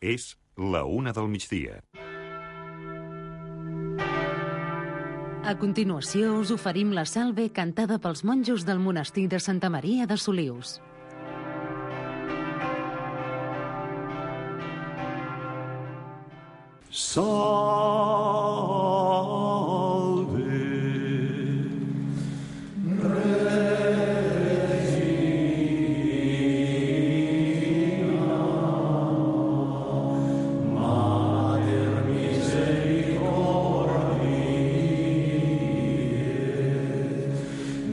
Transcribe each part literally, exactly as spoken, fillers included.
És la una del migdia. A continuació us oferim la salve cantada pels monjos del monestir de Santa Maria de Solius. Salve, Regina, Mater Misericordiae,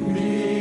Divina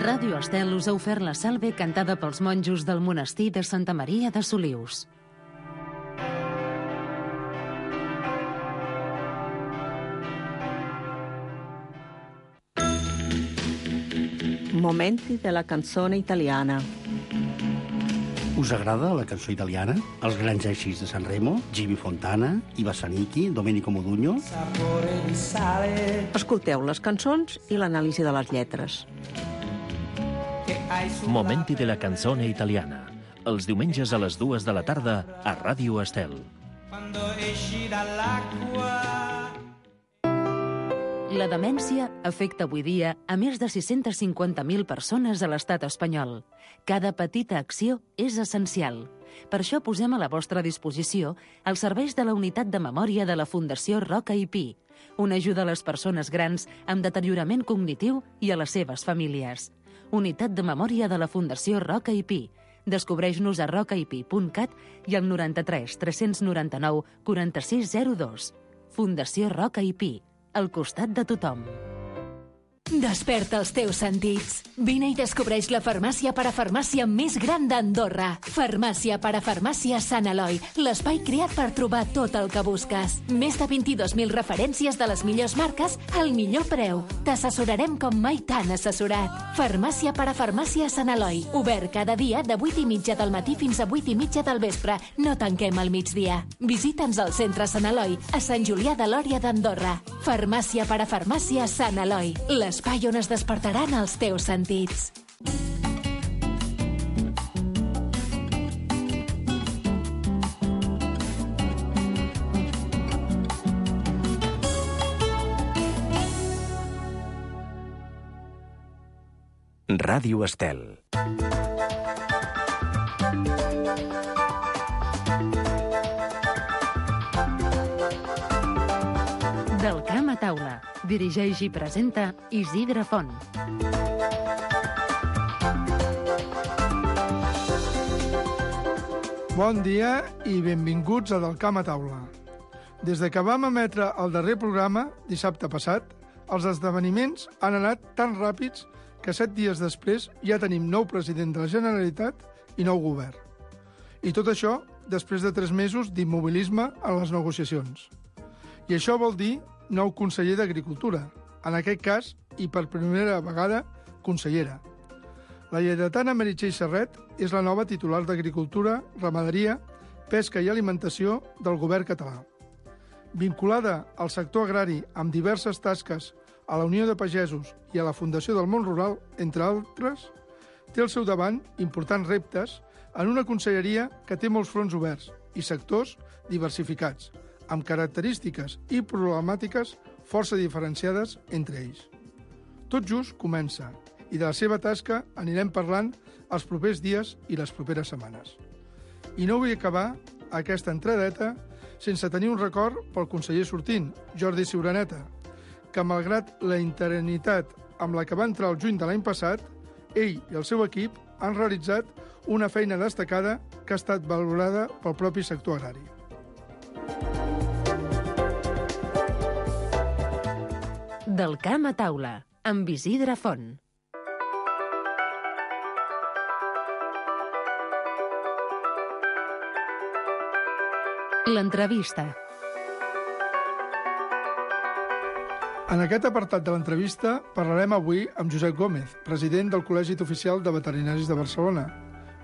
Ràdio Estel us ha ofert la salve cantada pels monjos del monestir de Santa Maria de Solius. Momenti della canzone italiana. Us agrada la cançó italiana? Els grans èxits de Sanremo, Jimmy Fontana, Iva Zanicchi, Domenico Modugno? Escolteu les cançons i l'anàlisi de les lletres. Momenti de la canzone italiana. Els diumenges a les dues de la tarda a Ràdio Estel. La demència afecta avui dia a més de sis-centes cinquanta mil persones a l'estat espanyol. Cada petita acció és essencial. Per això posem a la vostra disposició els serveis de la Unitat de Memòria de la Fundació Roca i Pi, una ajuda a les persones grans amb deteriorament cognitiu i a les seves famílies. Unitat de Memòria de la Fundació Roca i Pi. Descobreix-nos a rocaipi punt cat i al noranta-tres tres noranta-nou quaranta-sis zero dos. Fundació Roca i Pi, al costat de tothom. Desperta els teus sentits. Vine i descobreix la farmàcia parafarmàcia més gran d'Andorra. Farmàcia parafarmàcia Sant Eloi, l'espai creat per trobar tot el que busques. Més de vint-i-dos mil referències de les millors marques al millor preu. T'assessorarem com mai t'han assessorat. Farmàcia parafarmàcia Sant Eloi. Obert cada dia de vuit i mitja del matí fins a vuit i mitja del vespre. No tanquem al migdia. Visita'ns al centre Sant Eloi, a Sant Julià de Lòria d'Andorra. Farmàcia parafarmàcia Sant Eloi, l'espai on es despertaran els teus sentits. Ràdio Estel. Del camp a taula. Dirigeix i presenta Isidre Font. Bon dia i benvinguts a Del camp a taula. Des de que vam emetre el darrer programa, dissabte passat, els esdeveniments han anat tan ràpids que set dies després ja tenim nou president de la Generalitat i nou govern. I tot això després de tres mesos d'immobilisme en les negociacions. I això vol dir nou conseller d'Agricultura, en aquest cas, i per primera vegada, consellera. La lleidatana Meritxell Serret és la nova titular d'Agricultura, Ramaderia, Pesca i Alimentació del govern català. Vinculada al sector agrari amb diverses tasques a la Unió de Pagesos i a la Fundació del Món Rural, entre altres, té al seu davant importants reptes en una conselleria que té molts fronts oberts i sectors diversificats, amb característiques i problemàtiques força diferenciades entre ells. Tot just comença, i de la seva tasca anirem parlant els propers dies i les properes setmanes. I no vull acabar aquesta entradeta sense tenir un record pel conseller sortint, Jordi Ciuraneta, que malgrat la interinitat amb la que va entrar el juny de l'any passat, ell i el seu equip han realitzat una feina destacada que ha estat valorada pel propi sector agrari. Del camp a taula, amb Isidre Font. L'entrevista. En aquest apartat de l'entrevista parlarem avui amb Josep Gómez, president del Col·legi Oficial de Veterinaris de Barcelona.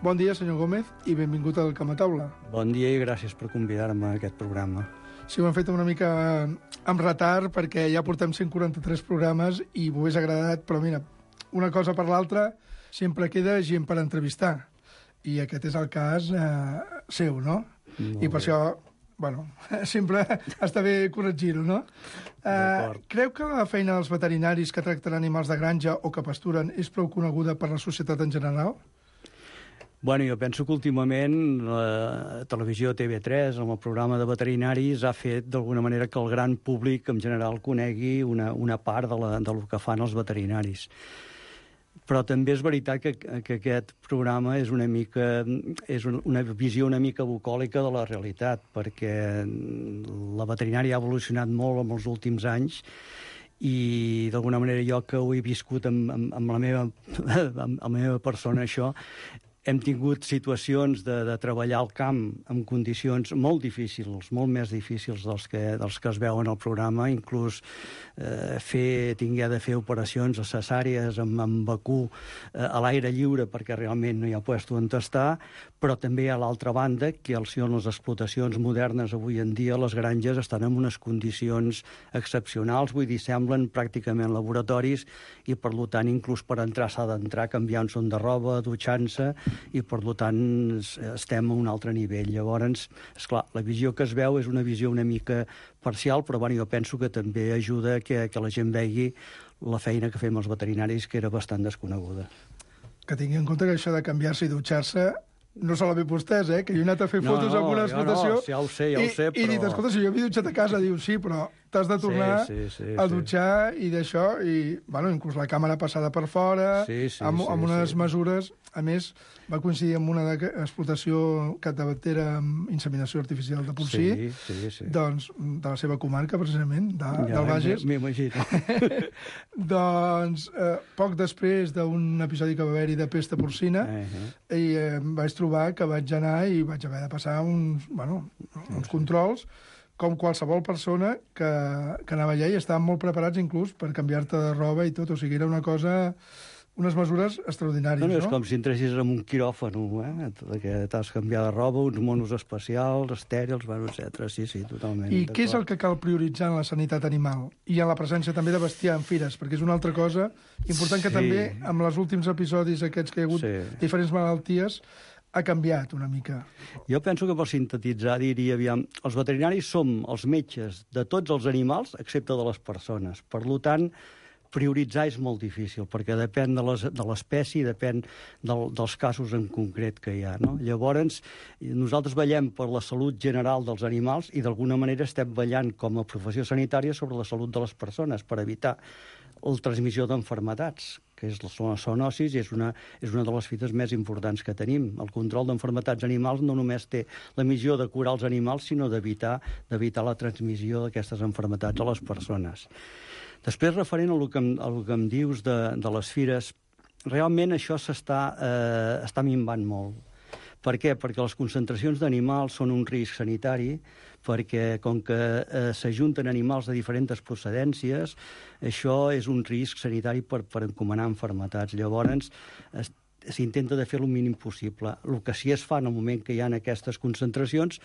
Bon dia, senyor Gómez, i benvingut al camp a taula. Bon dia i gràcies per convidar-me a aquest programa. Sí, ho hem fet una mica amb retard perquè ja portem cent quaranta-tres programes i m'ho hagués agradat, però mira, una cosa per l'altra sempre queda gent per entrevistar. I aquest és el cas eh, seu, no? Molt I per bé. això, bueno, sempre està bé corregir-ho, no? Eh, creu que la feina dels veterinaris que tracten animals de granja o que pasturen és prou coneguda per la societat en general? Bueno, jo penso que últimament la televisió T V tres, amb el programa de veterinaris, ha fet d'alguna manera que el gran públic en general conegui una, una part de, la, del que fan els veterinaris. Però també és veritat que, que aquest programa és una mica és una visió una mica bucòlica de la realitat, perquè la veterinària ha evolucionat molt en els últims anys i d'alguna manera jo que ho he viscut amb, amb, amb, la, meva, amb la meva persona això, hem tingut situacions de, de treballar al camp en condicions molt difícils, molt més difícils dels que, dels que es veuen al programa, inclús eh, fer, tingué de fer operacions cesàries amb, amb vacú eh, a l'aire lliure perquè realment no hi ha puesto on tastar, però també a l'altra banda, que al ser les explotacions modernes avui en dia, les granges estan en unes condicions excepcionals, vull dir, semblen pràcticament laboratoris i per tant inclús per entrar s'ha d'entrar canviant-se de roba, dutxant-se, i per tant estem a un altre nivell. Llavors, esclar, la visió que es veu és una visió una mica parcial, però bueno, jo penso que també ajuda que, que la gent vegi la feina que fem els veterinaris, que era bastant desconeguda. Que tingui en compte que això de canviar-se i dutxar-se no se l'ha fet vostès, eh? Que jo he anat a fer No, fotos no, en una jo explotació no, ja ho sé, ja ho i, sé, i he dit, però- escolta, si jo m'he dutxat a casa, diu, sí, però t'has de tornar sí, sí, sí, a dutxar i d'això, i, bueno, inclús la càmera passada per fora, sí, sí, amb, amb sí, unes sí. mesures. A més, va coincidir amb una explotació catavetera amb inseminació artificial de porcí, sí, sí, sí. doncs, de la seva comarca, precisament, de, ja, del Bages. M'imagino. Doncs, eh, poc després d'un episodi que va haver-hi de pesta porcina, uh -huh. i eh, em vaig trobar que vaig anar i vaig haver de passar uns, bueno, uns controls, com qualsevol persona que, que anava allà, i estaven molt preparats inclús per canviar-te de roba i tot, o sigui, era una cosa... unes mesures extraordinàries, no? No, no, és no? com si entressis en un quiròfano, eh? Que t'has canviat de roba, uns monos especials, estèrils, bueno, etcètera. Sí, sí, totalment. I què és el que cal prioritzar en la sanitat animal? I en la presència també de bestiar en fires, perquè és una altra cosa important que Sí. també, amb els últims episodis aquests que hi ha hagut, Sí. diferents malalties, ha canviat una mica. Jo penso que per sintetitzar diria, aviam, els veterinaris som els metges de tots els animals, excepte de les persones. Per tant, prioritzar és molt difícil, perquè depèn de les- de l'espècie, depèn del, dels casos en concret que hi ha. No? Llavors, nosaltres vetllem per la salut general dels animals i d'alguna manera estem vetllant com a professió sanitària sobre la salut de les persones per evitar la transmissió d'enfermetats, que és, són les zoonosis, i és una, és una de les fites més importants que tenim. El control d'enfermetats animals no només té la missió de curar els animals, sinó d'evitar d'evitar la transmissió d'aquestes enfermetats a les persones. Després, referent a el que em, a el que em dius de, de les fires, realment això s'està eh, està minvant molt. Per què? Perquè les concentracions d'animals són un risc sanitari, perquè com que eh, s'ajunten animals de diferents procedències, això és un risc sanitari per, per encomanar enfermetats. Llavors, es, s'intenta de fer el mínim possible. El que sí es fa en el moment que hi ha aquestes concentracions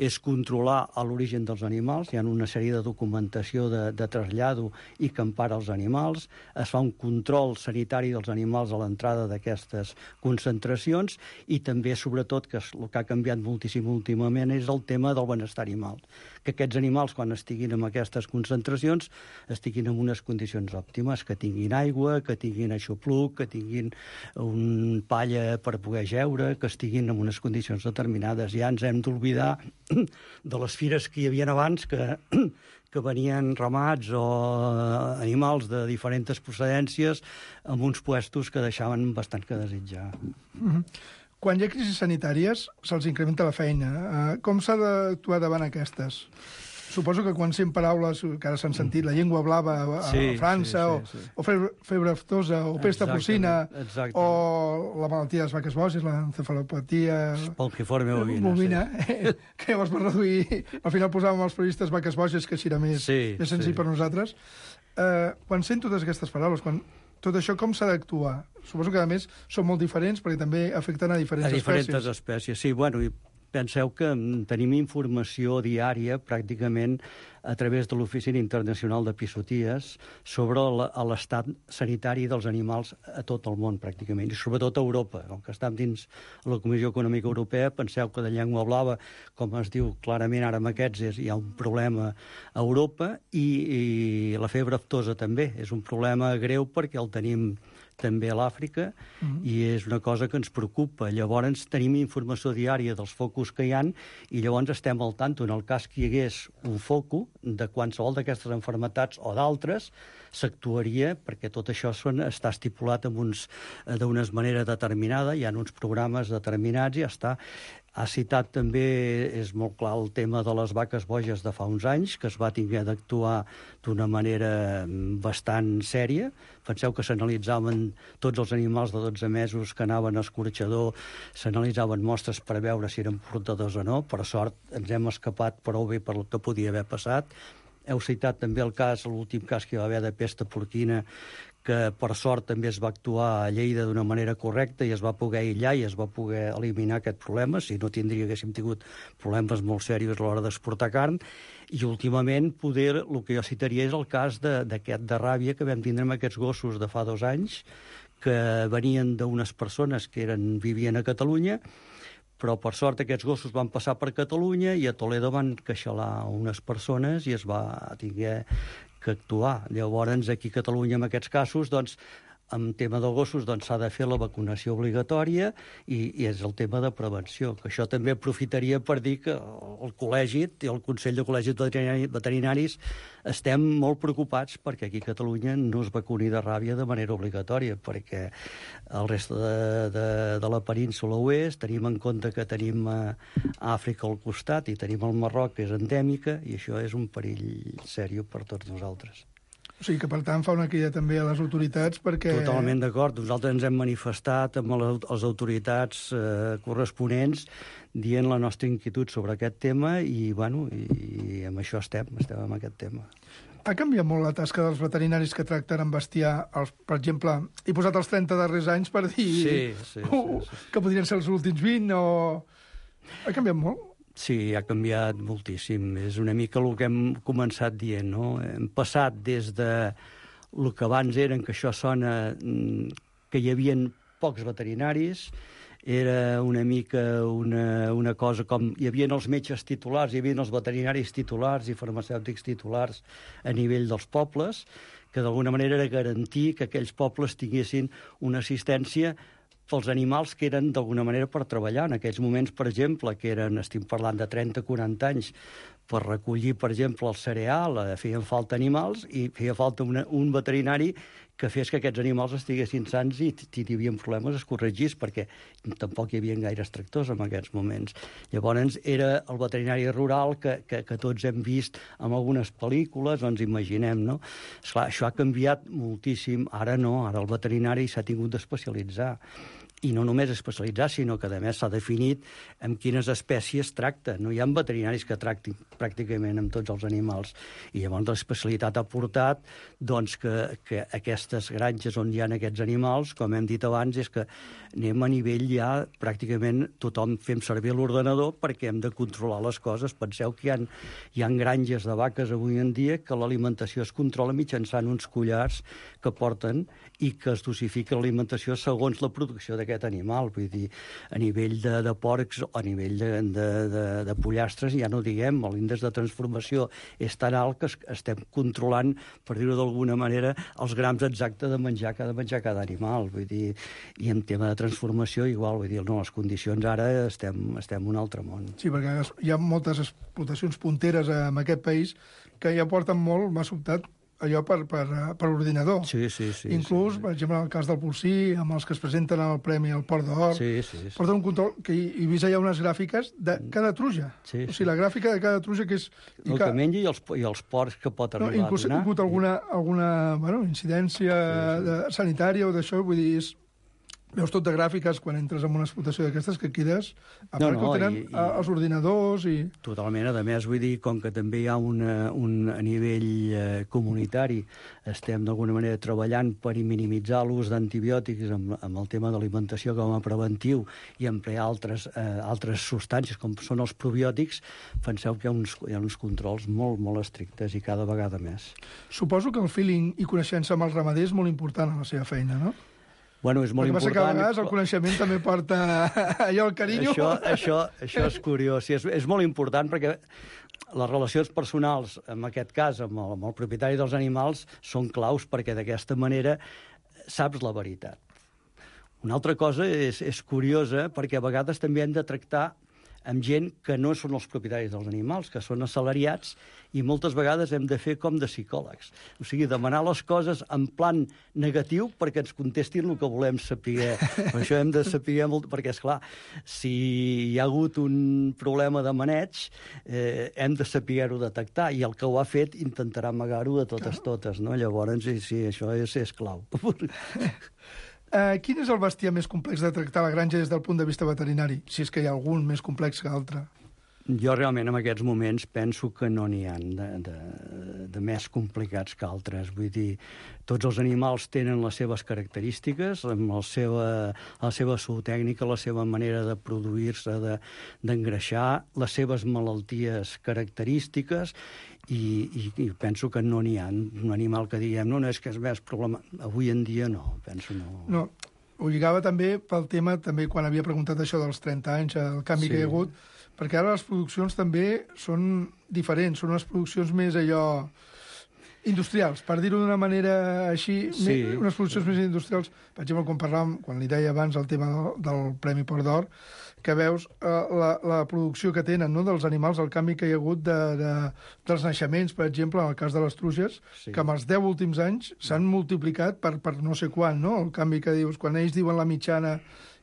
és controlar l'origen dels animals. Hi ha una sèrie de documentació de, de trasllado i que empara els animals. Es fa un control sanitari dels animals a l'entrada d'aquestes concentracions i també, sobretot, que el que ha canviat moltíssim últimament és el tema del benestar animal. Que aquests animals, quan estiguin en aquestes concentracions, estiguin en unes condicions òptimes, que tinguin aigua, que tinguin aixopluc, que tinguin un palla per poder jeure, que estiguin en unes condicions determinades. Ja ens hem d'oblidar de les fires que hi havia abans, que, que venien ramats o animals de diferents procedències amb uns puestos que deixaven bastant que desitjar. Mm-hmm. Quan hi ha crisis sanitàries, se'ls incrementa la feina. Uh, com s'ha d'actuar davant aquestes? Suposo que quan sent paraules que ara s'han sentit, la llengua blava a, Sí, a França, sí, sí, sí. o, o febre, febre aftosa, o pesta porcina, Exactament. o la malaltia de les vaques boges, l'encefalopatia... Polquiforme bovina. bovina, sí. Que llavors per reduir... Al final posàvem els periodistes vaques boges, que així era més, Sí, més senzill sí. per nosaltres. Uh, quan sent totes aquestes paraules, quan tot això com s'ha d'actuar? Suposo que, a més, són molt diferents perquè també afecten a diferents, A diferents espècies. espècies, sí. Bueno, i penseu que mm, tenim informació diària, pràcticament, a través de l'Oficina Internacional d'Episoties, sobre la- l'estat sanitari dels animals a tot el món, pràcticament, i sobretot a Europa. Com que estem dins la Comissió Econòmica Europea, penseu que de llengua blava, com es diu clarament ara amb aquests, és, hi ha un problema a Europa, i, i la febre aftosa també. És un problema greu perquè el tenim també a l'Àfrica, mm-hmm. i és una cosa que ens preocupa. Llavors tenim informació diària dels focus que hi han i llavors estem al tanto. En el cas que hi hagués un foco de qualsevol d'aquestes enfermetats o d'altres, s'actuaria, perquè tot això són, està estipulat amb uns, d'una manera determinada, hi ha uns programes determinats i ja està. Ha citat també, és molt clar, el tema de les vaques boges de fa uns anys, que es va haver d'actuar d'una manera bastant sèria. Penseu que s'analitzaven tots els animals de dotze mesos que anaven a escorxador, s'analitzaven mostres per veure si eren portadors o no. Per sort ens hem escapat prou bé per el que podia haver passat. Heu citat també el cas, l'últim cas que hi va haver de pesta porquina, que per sort també es va actuar a Lleida d'una manera correcta i es va poder aïllar i es va poder eliminar aquest problema, si no tindria, haguéssim tingut problemes molt serios a l'hora d'exportar carn. I últimament, poder, el que jo citaria és el cas de- d'aquest de ràbia que vam tindre amb aquests gossos de fa dos anys, que venien d'unes persones que eren, vivien a Catalunya, però per sort aquests gossos van passar per Catalunya i a Toledo van queixalar unes persones i es va tinguer que actuar. Llavors, aquí a Catalunya, en aquests casos, doncs, en tema de gossos doncs, s'ha de fer la vacunació obligatòria i, i és el tema de prevenció, que això també aprofitaria per dir que el col·legi i el Consell de Col·legis Veterinaris estem molt preocupats perquè aquí a Catalunya no es vacuni de ràbia de manera obligatòria, perquè el reste de, de, de la península ho és, tenim en compte que tenim a Àfrica al costat i tenim el Marroc, que és endèmica, i això és un perill sèrio per tots nosaltres. O sigui que, per tant, fa una crida també a les autoritats perquè... Totalment d'acord. Nosaltres ens hem manifestat amb les autoritats eh, corresponents dient la nostra inquietud sobre aquest tema i, bueno, i, i amb això estem, estem amb aquest tema. Ha canviat molt la tasca dels veterinaris que tracten amb bestiar, els, per exemple, he posat els trenta darrers anys per dir sí, sí, uh, sí, sí. que podrien ser els últims vint o... Ha canviat molt? Sí, ha canviat moltíssim. És una mica el que hem començat dient, no? Hem passat des de el que abans eren, que això sona que hi havia pocs veterinaris, era una mica una, una cosa com hi havia els metges titulars, hi havia els veterinaris titulars i farmacèutics titulars a nivell dels pobles, que d'alguna manera era garantir que aquells pobles tinguessin una assistència pels animals que eren d'alguna manera per treballar. En aquells moments, per exemple, que eren, estem parlant de trenta a quaranta anys, per recollir, per exemple, el cereal, feien falta animals i feia falta una, un veterinari que fes que aquests animals estiguessin sans i si hi havia problemes es corregís, perquè tampoc hi havia gaires tractors en aquests moments. Llavors era el veterinari rural que, que, que tots hem vist en algunes pel·lícules, ens imaginem, no? Esclar, això ha canviat moltíssim. Ara no, ara el veterinari s'ha tingut d'especialitzar. I no només especialitzar, sinó que, a més, s'ha definit amb quines espècies tracta. No hi ha veterinaris que tractin pràcticament amb tots els animals. I llavors l'especialitat ha portat doncs, que, que aquestes granges on hi ha aquests animals, com hem dit abans, és que anem a nivell ja pràcticament tothom fem servir l'ordenador perquè hem de controlar les coses. Penseu que hi ha, hi ha granges de vaques avui en dia que l'alimentació es controla mitjançant uns collars que porten i que es dosifica l'alimentació segons la producció d'aquest animal. Vull dir, a nivell de, de porcs o a nivell de, de, de, de pollastres, ja no diguem, l'índex de transformació és tan alt que es, estem controlant, per dir-ho d'alguna manera, els grams exactes de menjar que ha de menjar cada animal. Vull dir, i en tema de transformació igual, vull dir, no, les condicions ara estem, estem en un altre món. Sí, perquè hi ha moltes explotacions punteres en aquest país que ja porten molt, m'ha sobtat, allò per, per, per ordinador. Sí, sí, sí. Inclús, sí. per exemple, en el cas del porcí, amb els que es presenten al Premi al Port d'Or, sí, sí, sí. porten un control que hi, hi vist allà unes gràfiques de cada truja. Sí, o sigui, sí. la gràfica de cada truja que és... El que, que menja i els, i els porcs que pot arribar no, inclús a donar. Inclús ha hagut alguna, alguna bueno, incidència sí, sí. De, sanitària o d'això, vull dir, és... Veus tot de gràfiques quan entres en una explotació d'aquestes que quedes, a part no, no, que ho tenen i, i... els ordinadors i... Totalment, a més, vull dir, com que també hi ha una, un, a nivell eh, comunitari, estem d'alguna manera treballant per minimitzar l'ús d'antibiòtics amb, amb el tema d'alimentació com a preventiu i emplear altres, eh, altres substàncies com són els probiòtics, penseu que hi ha uns, hi ha uns controls molt, molt estrictes i cada vegada més. Suposo que el feeling i coneixença amb el ramader és molt important a la seva feina, no? Bueno, és molt Perquè important. Perquè a vegades el coneixement també porta allò, el carinyo. Això, això, això és curiós. Sí, és, és molt important perquè les relacions personals, en aquest cas, amb el, amb el propietari dels animals, són claus perquè d'aquesta manera saps la veritat. Una altra cosa és, és curiosa perquè a vegades també hem de tractar amb gent que no són els propietaris dels animals, que són assalariats, i moltes vegades hem de fer com de psicòlegs. O sigui, demanar les coses en plan negatiu perquè ens contestin el que volem saber. Per això hem de saber molt... Perquè, esclar, si hi ha hagut un problema de maneig, eh, hem de saber-ho detectar, i el que ho ha fet intentarà amagar-ho de totes totes, no? Llavors, sí, sí, això és, és clau. Uh, quin és el bestiar més complex de tractar a la granja des del punt de vista veterinari? Si és que hi ha algun més complex que altre. Jo realment en aquests moments penso que no n'hi ha de, de, de més complicats que altres. Vull dir, tots els animals tenen les seves característiques, amb la seva, la seva zootècnica, la seva manera de produir-se, de, d'engreixar, les seves malalties característiques, i, i, i penso que no n'hi ha un animal que diguem, no, no, és que és més problema. Avui en dia no, penso no. No, ho lligava també pel tema, també quan havia preguntat això dels trenta anys, el canvi sí. que hi ha hagut, perquè ara les produccions també són diferents, són unes produccions més allò... Industrials, per dir-ho d'una manera així, Sí. me, unes produccions més industrials. Per exemple, quan parlàvem, quan li deia abans el tema del, del Premi Port d'Or, que veus eh, la, la producció que tenen, no?, dels animals, el canvi que hi ha hagut de, de, dels naixements, per exemple, en el cas de les truges, Sí. que en els deu últims anys s'han multiplicat per, per no sé quan, no?, el canvi que dius, quan ells diuen la mitjana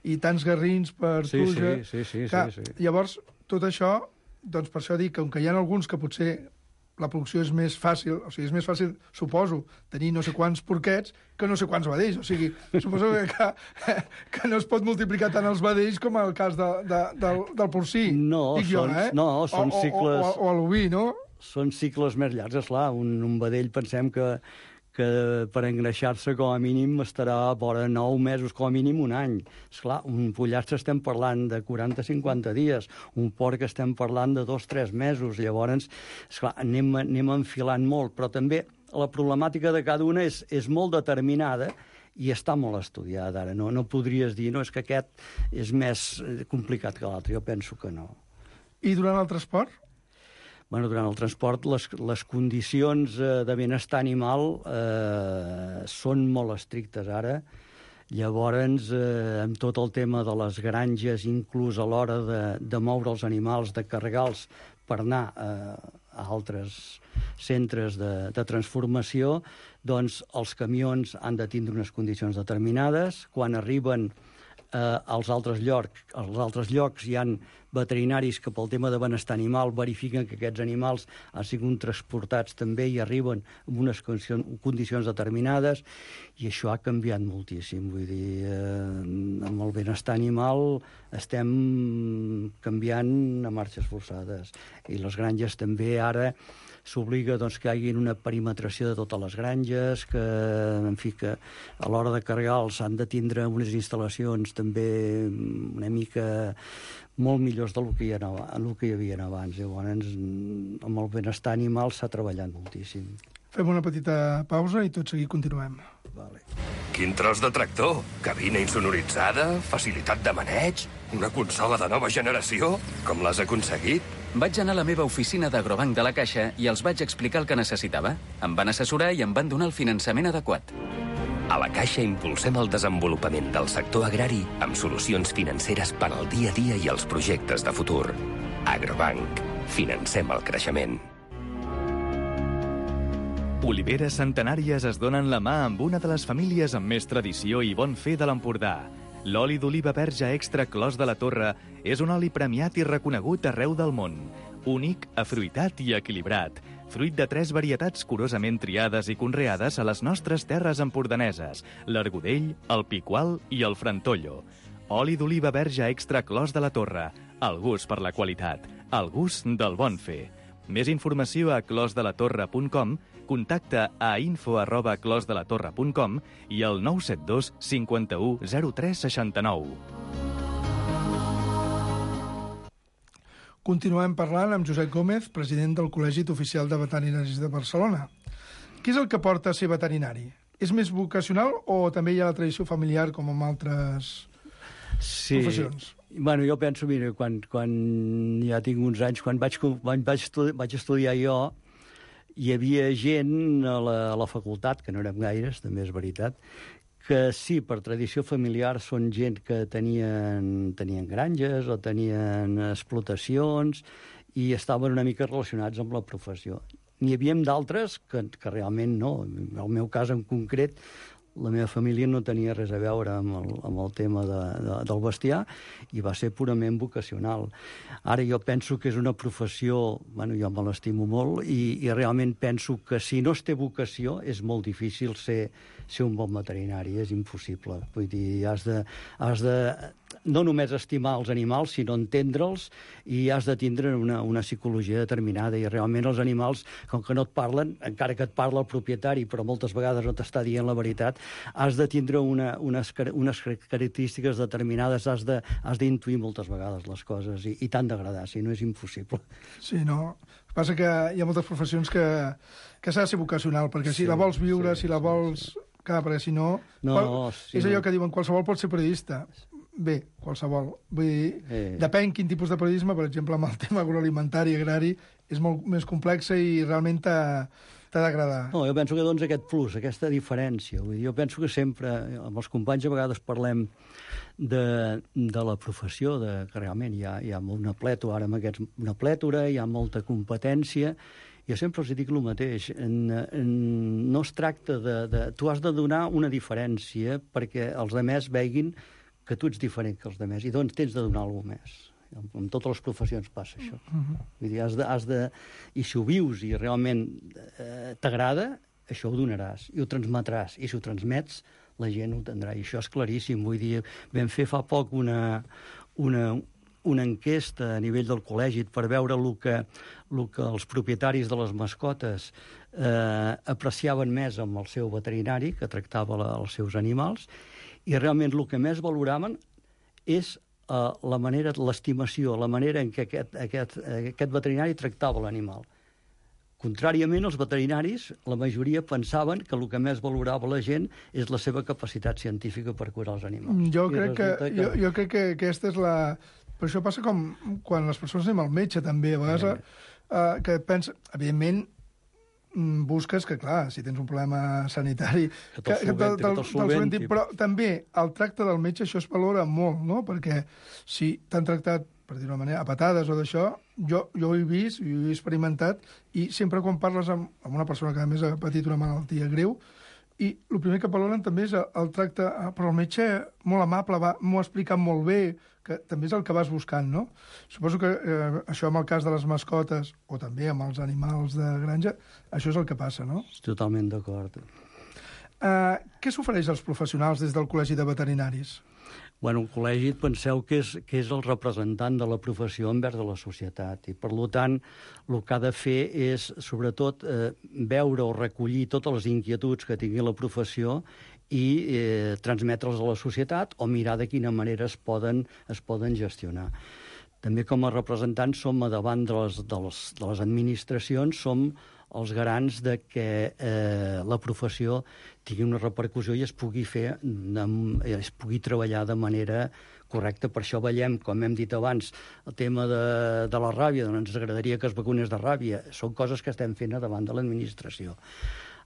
i tants garrins per Sí, truja... sí, sí, sí, Clar, sí, sí. Llavors, tot això, doncs per això dic que, com que hi ha alguns que potser la producció és més fàcil, o sigui, és més fàcil, suposo, tenir no sé quants porquets que no sé quants vedells. O sigui, suposo que, que, que no es pot multiplicar tant els vedells com el cas de, de, del, del porcí. No, dic jo, són- eh? no, són o, cicles- O, o, o l'oví, no? Són cicles més llargs, esclar. Un, un vedell pensem que, que per engreixar-se com a mínim estarà vora nou mesos, com a mínim un any. Esclar, un pollastre estem parlant de quaranta a cinquanta dies, un porc estem parlant de dos a tres mesos. Llavors, esclar, anem, anem enfilant molt, però també la problemàtica de cada una és, és molt determinada i està molt estudiada ara. No, no podries dir, no, és que aquest és més complicat que l'altre. Jo penso que no. I durant el transport? Bueno, durant el transport les, les condicions eh, de benestar animal eh, són molt estrictes ara. Llavors, eh, amb tot el tema de les granges, inclús a l'hora de, de moure els animals, de carregar-los per anar eh, a altres centres de, de transformació, doncs els camions han de tindre unes condicions determinades. Quan arriben eh, als altres llocs, als altres llocs hi han veterinaris que pel tema de benestar animal verifiquen que aquests animals han sigut transportats també i arriben en unes condicions determinades, i això ha canviat moltíssim. Vull dir, eh, amb el benestar animal estem canviant a marxes forçades, i les granges també ara s'obliga, doncs, que hi hagi una perimetració de totes les granges, que, en fi, que a l'hora de carregar-los han de tindre unes instal·lacions també una mica molt millors del que hi, ha, del que hi havia abans. Llavors, amb el benestar animal s'ha treballat moltíssim. Fem una petita pausa i tot seguit continuem. Vale. Quin tros de tractor? Cabina insonoritzada? Facilitat de maneig? Una consola de nova generació? Com l'has aconseguit? Vaig anar a la meva oficina d'Agrobanc de la Caixa i els vaig explicar el que necessitava. Em van assessorar i em van donar el finançament adequat. A la Caixa impulsem el desenvolupament del sector agrari amb solucions financeres per al dia a dia i els projectes de futur. Agrobanc. Financem el creixement. Oliveres centenàries es donen la mà amb una de les famílies amb més tradició i bon fer de l'Empordà. L'oli d'oliva verge extra Clos de la Torre és un oli premiat i reconegut arreu del món. Únic, afruitat i equilibrat. Fruit de tres varietats curosament triades i conreades a les nostres terres empordaneses: l'Argudell, el Picual i el Frantollo. Oli d'oliva verge extra Clos de la Torre. El gust per la qualitat. El gust del bon fer. Més informació a clos de la torre punt com, contacta a info arroba clos de la torre punt com i al nou set dos cinquanta-u zero tres seixanta-nou. Continuem parlant amb Josep Gómez, president del Col·legi Oficial de Veterinaris de Barcelona. Qui és el que porta a ser veterinari? És més vocacional o també hi ha la tradició familiar com en altres sí. professions? Bueno, jo penso, mira, quan, quan ja tinc uns anys, quan vaig, quan vaig, estudi vaig estudiar jo, hi havia gent a la, a la facultat, que no érem gaires, també és veritat, que sí, per tradició familiar són gent que tenien, tenien granges o tenien explotacions i estaven una mica relacionats amb la professió. N'hi havia d'altres que, que realment no. En el meu cas en concret, la meva família no tenia res a veure amb el, amb el tema de, de, del bestiar i va ser purament vocacional. Ara jo penso que és una professió, bueno, jo me l'estimo molt i, i realment penso que si no es té vocació és molt difícil ser, ser un bon veterinari, és impossible. Vull dir, has de, has de no només estimar els animals, sinó entendre'ls, i has de tindre una, una psicologia determinada, i realment els animals, com que no et parlen, encara que et parla el propietari, però moltes vegades no t'està dient la veritat, has de tindre una, unes, unes característiques determinades, has de, has d'intuir moltes vegades les coses, i, i t'han d'agradar, si no és impossible. Sí, no? El que passa que hi ha moltes professions que, que s'ha de ser vocacional, perquè si sí, la vols viure, sí, si la vols... Sí. Clar, perquè si no... no qual... sí, és allò no. que diuen, qualsevol pot ser periodista. Bé, qualsevol. Vull dir, eh. depèn quin tipus de periodisme, per exemple, amb el tema agroalimentari, agrari, és molt més complex i realment t'ha d'agradar. No, jo penso que doncs aquest plus, aquesta diferència. Vull dir, jo penso que sempre, amb els companys a vegades parlem de, de la professió, de, que realment hi ha, hi ha una plètora, ara amb aquests, una plètora, hi ha molta competència. Jo sempre els dic el mateix, en, en, no es tracta de, de... Tu has de donar una diferència perquè els altres veguin que tu ets diferent que els altres, i doncs tens de donar alguna més. En, en totes les professions passa això. Uh-huh. Vull dir, has de, has de... I si ho vius i realment eh, t'agrada, això ho donaràs, i ho transmetràs, i si ho transmets, la gent ho tindrà, i això és claríssim. Vull dir, vam fer fa poc una... una una enquesta a nivell del col·legi per veure el que, el que els propietaris de les mascotes eh, apreciaven més amb el seu veterinari, que tractava la, els seus animals, i realment el que més valoraven és eh, la manera, l'estimació, la manera en què aquest, aquest, aquest veterinari tractava l'animal. Contràriament, els veterinaris, la majoria pensaven que el que més valorava la gent és la seva capacitat científica per curar els animals. Jo, crec que, que... Jo, jo crec que aquesta és la... Però això passa com quan les persones anem al metge, també. A vegades, eh, eh, que pensa... Evidentment, busques que, clar, si tens un problema sanitari... Que te'l solventi, que te'l solventi. Però també el tracte del metge, això es valora molt, no? Perquè si t'han tractat, per dir-ho d'una manera, a patades o d'això, jo, jo ho he vist, ho he experimentat, i sempre quan parles amb, amb una persona que a més ha patit una malaltia greu, i el primer que valoren també és el, el tracte... Però el metge, molt amable, va, m'ho ha explicat molt bé, que també és el que vas buscant, no? Suposo que eh, això amb el cas de les mascotes, o també amb els animals de granja, això és el que passa, no? Totalment d'acord. Uh, què s'ofereix als professionals des del Col·legi de Veterinaris? Bueno, el col·legi, penseu que és, que és el representant de la professió envers de la societat, i per tant el que ha de fer és, sobretot, eh, veure o recollir totes les inquietuds que tingui la professió i eh, transmetre'ls a la societat o mirar de quina manera es poden, es poden gestionar. També com a representants som a davant de les, de les, de les administracions, som els garants de que eh, la professió tingui una repercussió i es pugui fer, es pugui treballar de manera correcta. Per això veiem, com hem dit abans, el tema de, de la ràbia, doncs ens agradaria que es vacunés de ràbia. Són coses que estem fent a davant de l'administració.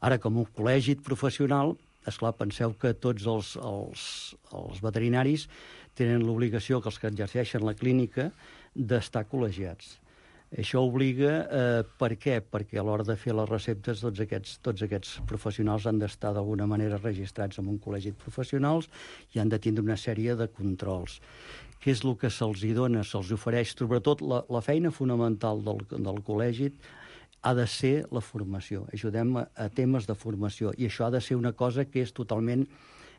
Ara, com un col·legi professional, esclar, penseu que tots els, els, els veterinaris tenen l'obligació, que els que exerceixen la clínica, d'estar col·legiats. Això obliga, eh, per què? Perquè a l'hora de fer les receptes tots aquests, tots aquests professionals han d'estar d'alguna manera registrats en un col·legi de professionals i han de tindre una sèrie de controls. Què és el que se'ls dona, se'ls ofereix? Sobretot la, la feina fonamental del, del col·legi ha de ser la formació. Ajudem a, a temes de formació i això ha de ser una cosa que és totalment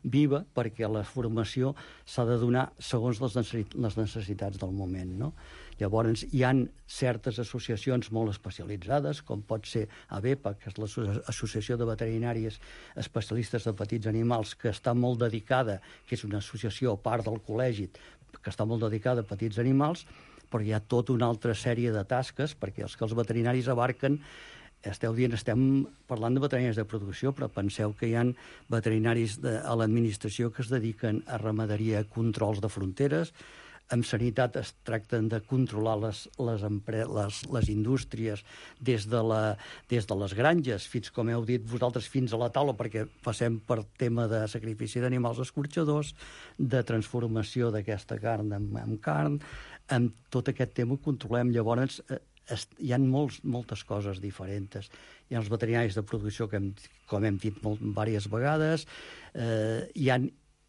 viva perquè la formació s'ha de donar segons les necessitats del moment, no? Llavors, hi han certes associacions molt especialitzades, com pot ser AVEPA, que és l'Associació de Veterinàries Especialistes de Petits Animals, que està molt dedicada, que és una associació a part del col·legi, que està molt dedicada a petits animals, però hi ha tota una altra sèrie de tasques, perquè els que els veterinaris abarquen, esteu dient, estem parlant de veterinaris de producció, però penseu que hi ha veterinaris de, a l'administració que es dediquen a ramaderia, controls de fronteres, amb sanitat es tracten de controlar les, les, les, les indústries des de, la, des de les granges, fins, com heu dit vosaltres, fins a la taula, perquè passem per tema de sacrifici d'animals escorxadors, de transformació d'aquesta carn en, en carn, amb tot aquest tema ho controlem. Llavors, eh, hi ha molts, moltes coses diferents. Hi ha els veterinaris de producció, que hem, com hem dit molt, diverses vegades, eh, hi ha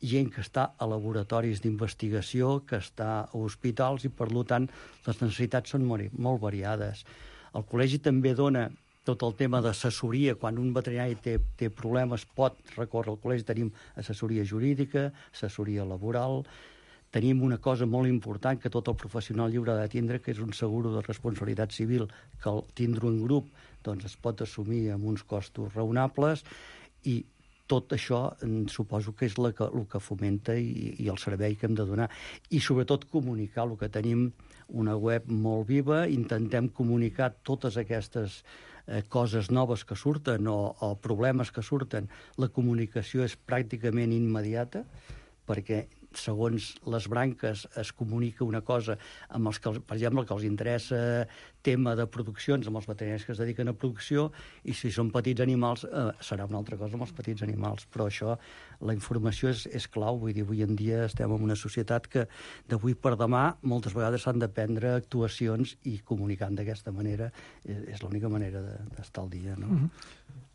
gent que està a laboratoris d'investigació, que està a hospitals, i per tant les necessitats són molt, molt variades. El col·legi també dona tot el tema d'assessoria. Quan un veterinari té, té problemes pot recórrer al col·legi. Tenim assessoria jurídica, assessoria laboral. Tenim una cosa molt important que tot el professional lliure ha de tindre, que és un seguro de responsabilitat civil, que al tindre un grup doncs, es pot assumir amb uns costos raonables, i tot això suposo que és la que, el que fomenta i, i el servei que hem de donar. I sobretot comunicar el que tenim, una web molt viva, intentem comunicar totes aquestes eh, coses noves que surten o, o problemes que surten. La comunicació és pràcticament immediata, perquè segons les branques es comunica una cosa amb els que, per exemple, que els interessa tema de produccions, amb els veterinaris que es dediquen a producció, i si són petits animals eh, serà una altra cosa amb els petits animals. Però això, la informació és, és clau. Vull dir, avui en dia estem en una societat que d'avui per demà moltes vegades s'han de prendre actuacions i comunicant d'aquesta manera és, és l'única manera d'estar al dia, no? Mm-hmm.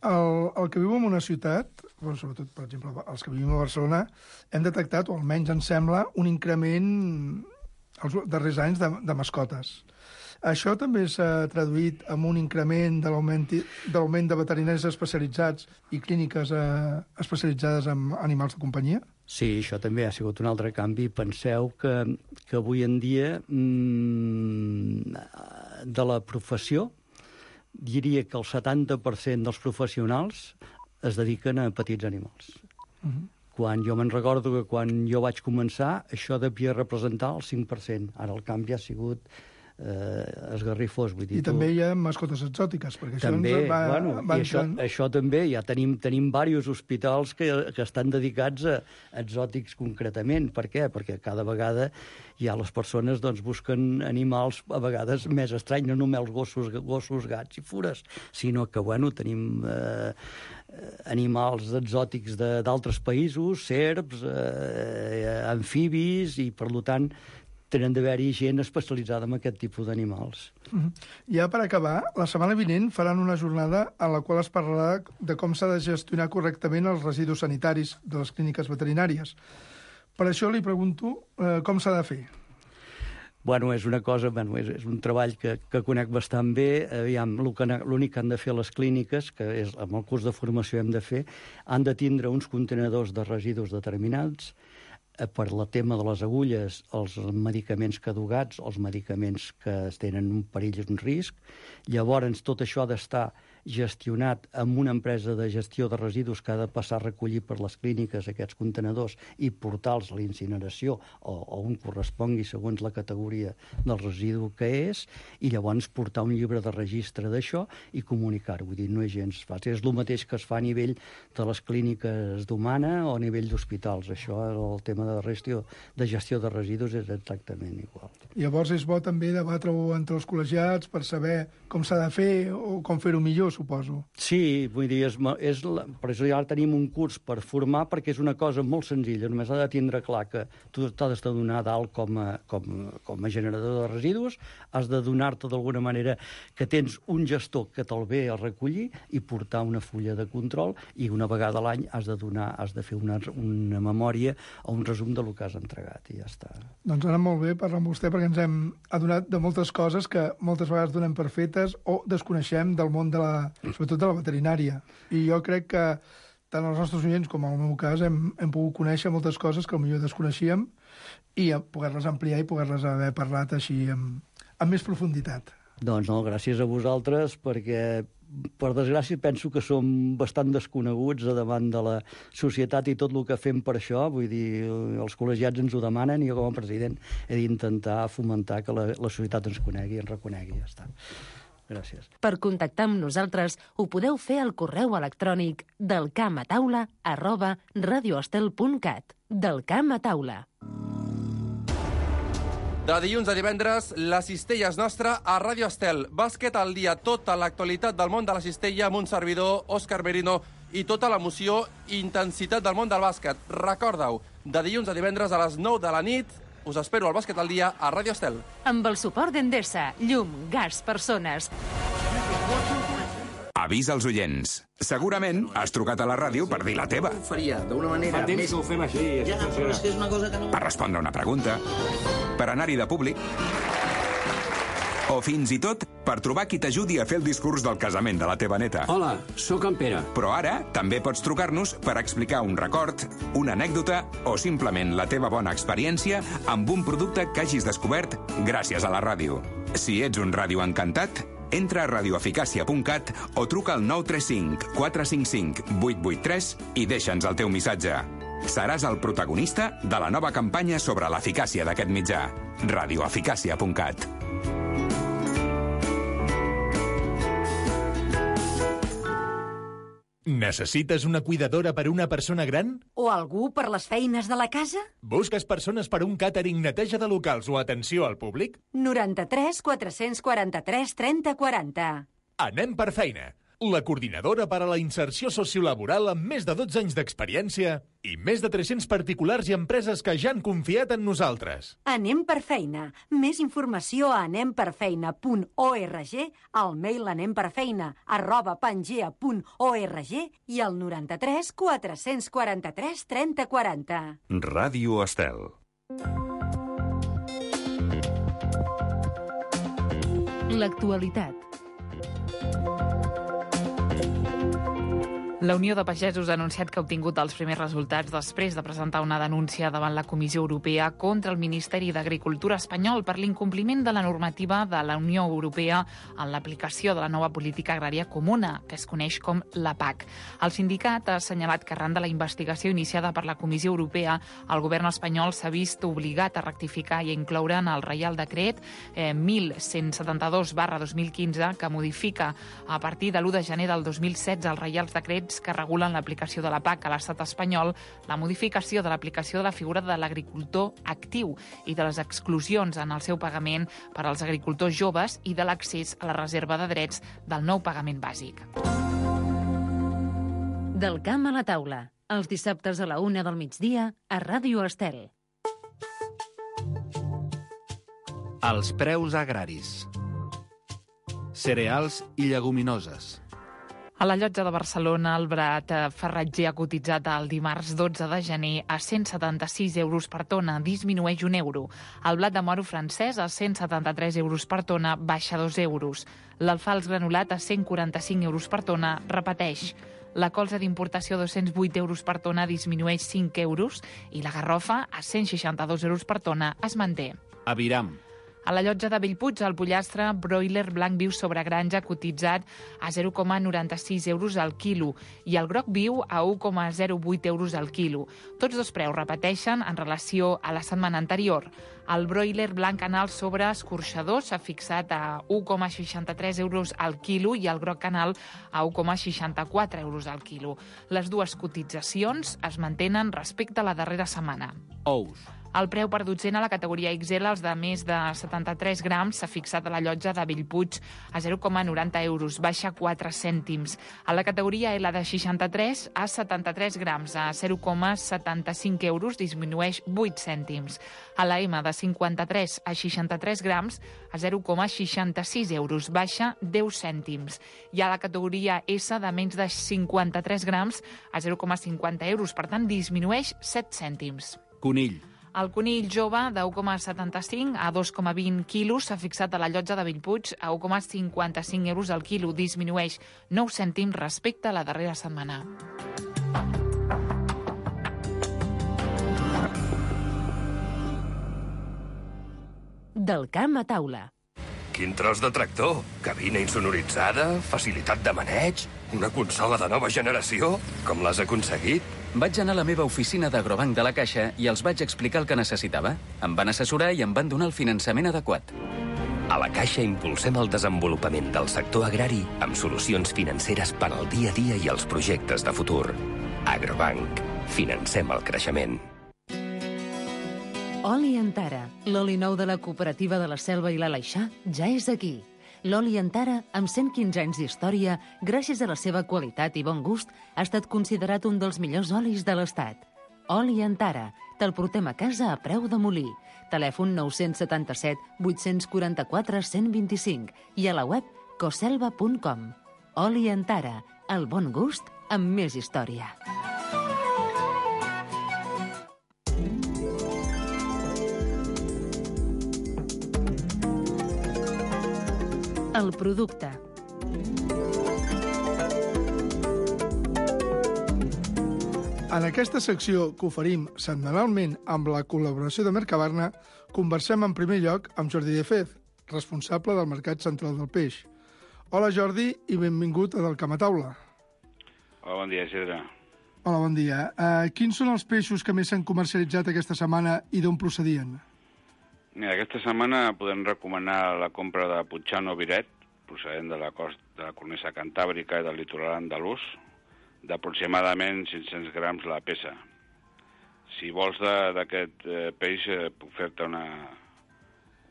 El, el que viu en una ciutat, bueno, sobretot, per exemple, els que vivim a Barcelona, hem detectat, o almenys ens sembla, un increment els darrers anys de, de mascotes. Això també s'ha traduït en un increment de l'augment de l'augment de veterinaris especialitzats i clíniques eh, especialitzades en animals de companyia? Sí, això també ha sigut un altre canvi. Penseu que, que avui en dia mmm, de la professió diria que el setanta per cent dels professionals es dediquen a petits animals. Uh-huh. Quan jo me'n recordo que quan jo vaig començar això devia representar el cinc per cent. Ara el canvi ha sigut eh, esgarrifós. Vull dir, I tu... també hi ha mascotes exòtiques, perquè també, això ens va, bueno, va i això, això també, ja tenim, tenim diversos hospitals que, que estan dedicats a exòtics concretament. Per què? Perquè cada vegada ja les persones doncs, busquen animals a vegades més estranys, no només gossos, gossos, gats i fures, sinó que bueno, tenim eh, animals exòtics d'altres països, serps, eh, amfibis, i per tant tenen d'haver-hi gent especialitzada en aquest tipus d'animals. Mm-hmm. Ja per acabar, la setmana vinent faran una jornada en la qual es parlarà de com s'ha de gestionar correctament els residus sanitaris de les clíniques veterinàries. Per això li pregunto eh, com s'ha de fer. Bueno, és una cosa, bueno, és, és un treball que, que conec bastant bé. Aviam, l'únic que han de fer les clíniques, que és amb el curs de formació hem de fer, han de tindre uns contenedors de residus determinats per la tema de les agulles, els medicaments caducats, els medicaments que tenen un perill i un risc. Llavors, tot això ha d'estar gestionat amb una empresa de gestió de residus que ha de passar a recollir per les clíniques aquests contenedors i portar-los a la incineració o, o on correspongui segons la categoria del residu que és, i llavors portar un llibre de registre d'això i comunicar-ho. Vull dir, no és gens fàcil. És el mateix que es fa a nivell de les clíniques d'Humana o a nivell d'hospitals. Això, el tema de gestió de gestió de residus és exactament igual. Llavors és bo també debatre-ho entre els col·legiats per saber com s'ha de fer o com fer-ho millor, suposo. Sí, vull dir, és, és la, per això ja tenim un curs per formar, perquè és una cosa molt senzilla. Només ha de tindre clar que tu t'has de donar dalt com a, com, com a generador de residus, has de donar-te d'alguna manera que tens un gestor que te'l ve a recollir i portar una fulla de control, i una vegada a l'any has de donar, has de fer una, una memòria o un resum de lo que has entregat, i ja està. Doncs ara molt bé parlar amb vostè, perquè ens hem adonat de moltes coses que moltes vegades donem per fetes o desconeixem del món de la, sobretot de la veterinària. I jo crec que tant els nostres oients com en el meu cas hem, hem pogut conèixer moltes coses que potser desconeixíem i poder-les ampliar i poder-les haver parlat així amb, amb més profunditat. Doncs no, gràcies a vosaltres, perquè per desgràcia penso que som bastant desconeguts a davant de la societat i tot el que fem per això. Vull dir, els col·legiats ens ho demanen i jo com a president he d'intentar fomentar que la, la societat ens conegui i ens reconegui. Ja està. Gràcies. Per contactar amb nosaltres ho podeu fer al correu electrònic del camp a taula arroba radioestel punt cat. Del camp a taula. De dilluns a divendres, la cistella és nostra a Ràdio Estel. Bàsquet al dia, tota l'actualitat del món de la cistella amb un servidor, Òscar Merino, i tota l'emoció i intensitat del món del bàsquet. Recorda-ho, de dilluns a divendres a les nou de la nit, us espero al Bàsquet al dia a Ràdio Estel. Amb el suport d'Endesa, llum, gas, persones. Avís als oients. Segurament has trucat a la ràdio per dir la teva. Ho faria d'una manera Fa temps més... que ho fem així. Ja, però és que és una cosa que no... Per respondre una pregunta, per anar-hi de públic, o fins i tot per trobar qui t'ajudi a fer el discurs del casament de la teva neta. Hola, sóc en Pere. Però ara també pots trucar-nos per explicar un record, una anècdota o simplement la teva bona experiència amb un producte que hagis descobert gràcies a la ràdio. Si ets un ràdio encantat, entra a radioeficàcia punt cat o truca al nou tres cinc quatre cinc cinc vuit vuit tres i deixa'ns el teu missatge. Seràs el protagonista de la nova campanya sobre l'eficàcia d'aquest mitjà. radioeficàcia punt cat. Necessites una cuidadora per a una persona gran? O algú per les feines de la casa? Busques persones per a un càtering, neteja de locals o atenció al públic? noranta-tres quatre-cents quaranta-tres trenta quaranta. Anem per feina. La coordinadora per a la inserció sociolaboral amb més de dotze anys d'experiència i més de tres-cents particulars i empreses que ja han confiat en nosaltres. Anem per feina. Més informació a anemperfeina punt org, al mail anemperfeina arroba pangea punt org i al noranta-tres quatre-cents quaranta-tres trenta quaranta. Ràdio Estel. L'actualitat. La Unió de Pagesos ha anunciat que ha obtingut els primers resultats després de presentar una denúncia davant la Comissió Europea contra el Ministeri d'Agricultura espanyol per l'incompliment de la normativa de la Unió Europea en l'aplicació de la nova política agrària comuna, que es coneix com la P A C. El sindicat ha assenyalat que arran de la investigació iniciada per la Comissió Europea, el govern espanyol s'ha vist obligat a rectificar i a incloure en el Reial Decret eh, mil cent setanta-dos barra dos mil quinze, que modifica a partir de l'u de gener del dos mil setze els Reials Decrets que regulen l'aplicació de la P A C a l'estat espanyol, la modificació de l'aplicació de la figura de l'agricultor actiu i de les exclusions en el seu pagament per als agricultors joves i de l'accés a la reserva de drets del nou pagament bàsic. Del camp a la taula, els dissabtes a la una del migdia a Ràdio Estel. Els preus agraris. Cereals i lleguminoses. A la llotja de Barcelona, el blat farratger ha cotitzat el dimarts dotze de gener a cent setanta-sis euros per tona, disminueix un euro. El blat de moro francès a cent setanta-tres euros per tona, baixa dos euros. L'alfals granulat a cent quaranta-cinc euros per tona, repeteix. La colza d'importació a dos-cents vuit euros per tona disminueix cinc euros i la garrofa a cent seixanta-dos euros per tona es manté. Aviram. A la llotja de Bellpuig, el pollastre broiler blanc viu sobre granja cotitzat a zero coma noranta-sis euros al quilo i el groc viu a u coma zero vuit euros al quilo. Tots dos preus repeteixen en relació a la setmana anterior. El broiler blanc canal sobre escorxador s'ha fixat a u coma seixanta-tres euros al quilo i el groc canal a u coma seixanta-quatre euros al quilo. Les dues cotitzacions es mantenen respecte a la darrera setmana. Ous. El preu per dotzena a la categoria X L, els de més de setanta-tres grams, s'ha fixat a la llotja de Bellpuig a zero coma noranta euros, baixa quatre cèntims. A la categoria L de seixanta-tres a setanta-tres grams, a zero coma setanta-cinc euros, disminueix vuit cèntims. A la M de cinquanta-tres a seixanta-tres grams, a zero coma seixanta-sis euros, baixa deu cèntims. I a la categoria S de menys de cinquanta-tres grams, a zero coma cinquanta euros, per tant, disminueix set cèntims. Conill. El conill jove de u coma setanta-cinc a dos coma vint quilos s'ha fixat a la llotja de Bellpuig a u coma cinquanta-cinc euros al quilo, disminueix nou cèntims respecte a la darrera setmana. Del camp a taula. Quin tros de tractor! Cabina insonoritzada, facilitat de maneig, una consola de nova generació. Com l'has aconseguit? Vaig anar a la meva oficina d'Agrobanc de la Caixa i els vaig explicar el que necessitava. Em van assessorar i em van donar el finançament adequat. A la Caixa impulsem el desenvolupament del sector agrari amb solucions financeres per al dia a dia i els projectes de futur. Agrobanc. Financem el creixement. Oli Antara, l'oli nou de la cooperativa de la Selva i l'Aleixar, ja és aquí. L'oli Antara, amb cent quinze anys d'història, gràcies a la seva qualitat i bon gust, ha estat considerat un dels millors olis de l'Estat. Oli Antara, te'l portem a casa a preu de molí. Telèfon nou set set vuit quatre quatre cent vint-i-cinc i a la web coselva punt com. Oli Antara, el bon gust amb més història. El producte. En aquesta secció que oferim setmanalment amb la col·laboració de Mercabarna, conversem en primer lloc amb Jordi de Fez, responsable del Mercat Central del Peix. Hola Jordi i benvingut a Del Camp a Taula. Hola, bon dia, Isidre. Hola, bon dia. Uh, quins són els peixos que més s'han comercialitzat aquesta setmana i d'on procedien? Mira, aquesta setmana podem recomanar la compra de Puigxano Viret, procedent de la costa de la cornisa cantàbrica i del litoral andalús, d'aproximadament cinc-cents grams la peça. Si vols d'aquest eh, peix, eh, puc fer-te una,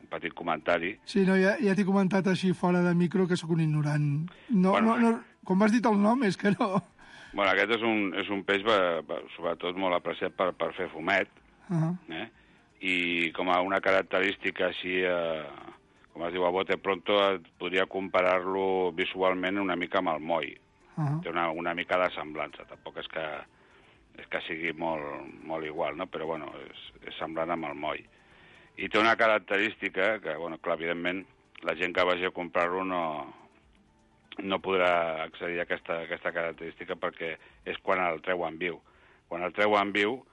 un petit comentari. Sí, no, ja, ja t'he comentat així fora de micro que sóc un ignorant. No, Bueno. no, no, com m'has dit el nom, és que no... Bueno, aquest és un, és un peix, va, va, sobretot, molt apreciat per, per fer fumet, Uh -huh. eh? I com a una característica així, eh, com es diu a bote pronto, podria comparar-lo visualment una mica amb el moll. Uh -huh. Té una, una mica de semblança, tampoc és que, és que sigui molt, molt igual, no? Però bueno, és, és semblant amb el moll. I té una característica que, bueno, clar, evidentment, la gent que vagi a comprar-lo no, no podrà accedir a aquesta, aquesta característica perquè és quan el treuen viu. Quan el treuen viu,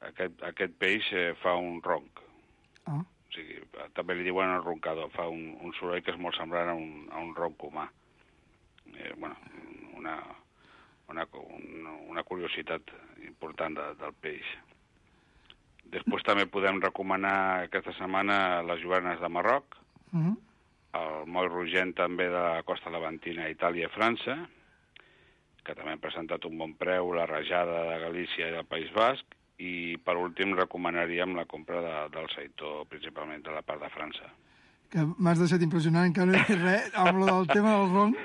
aquest, aquest peix eh, fa un ronc. Ah. O sigui, també li diuen el roncador, fa un, un soroll que és molt semblant a un, a un ronc humà. Eh, bueno, una, una, una, una curiositat important de, del peix. Després també podem recomanar aquesta setmana les joanes de Marroc, Uh -huh. el moll rogent també de la costa levantina, Itàlia i França, que també han presentat un bon preu, la rajada de Galícia i del País Basc, i per últim recomanaríem la compra de, del seitó, principalment de la part de França. Que m'has deixat impressionant, encara no he dit res, amb lo del tema del ronc,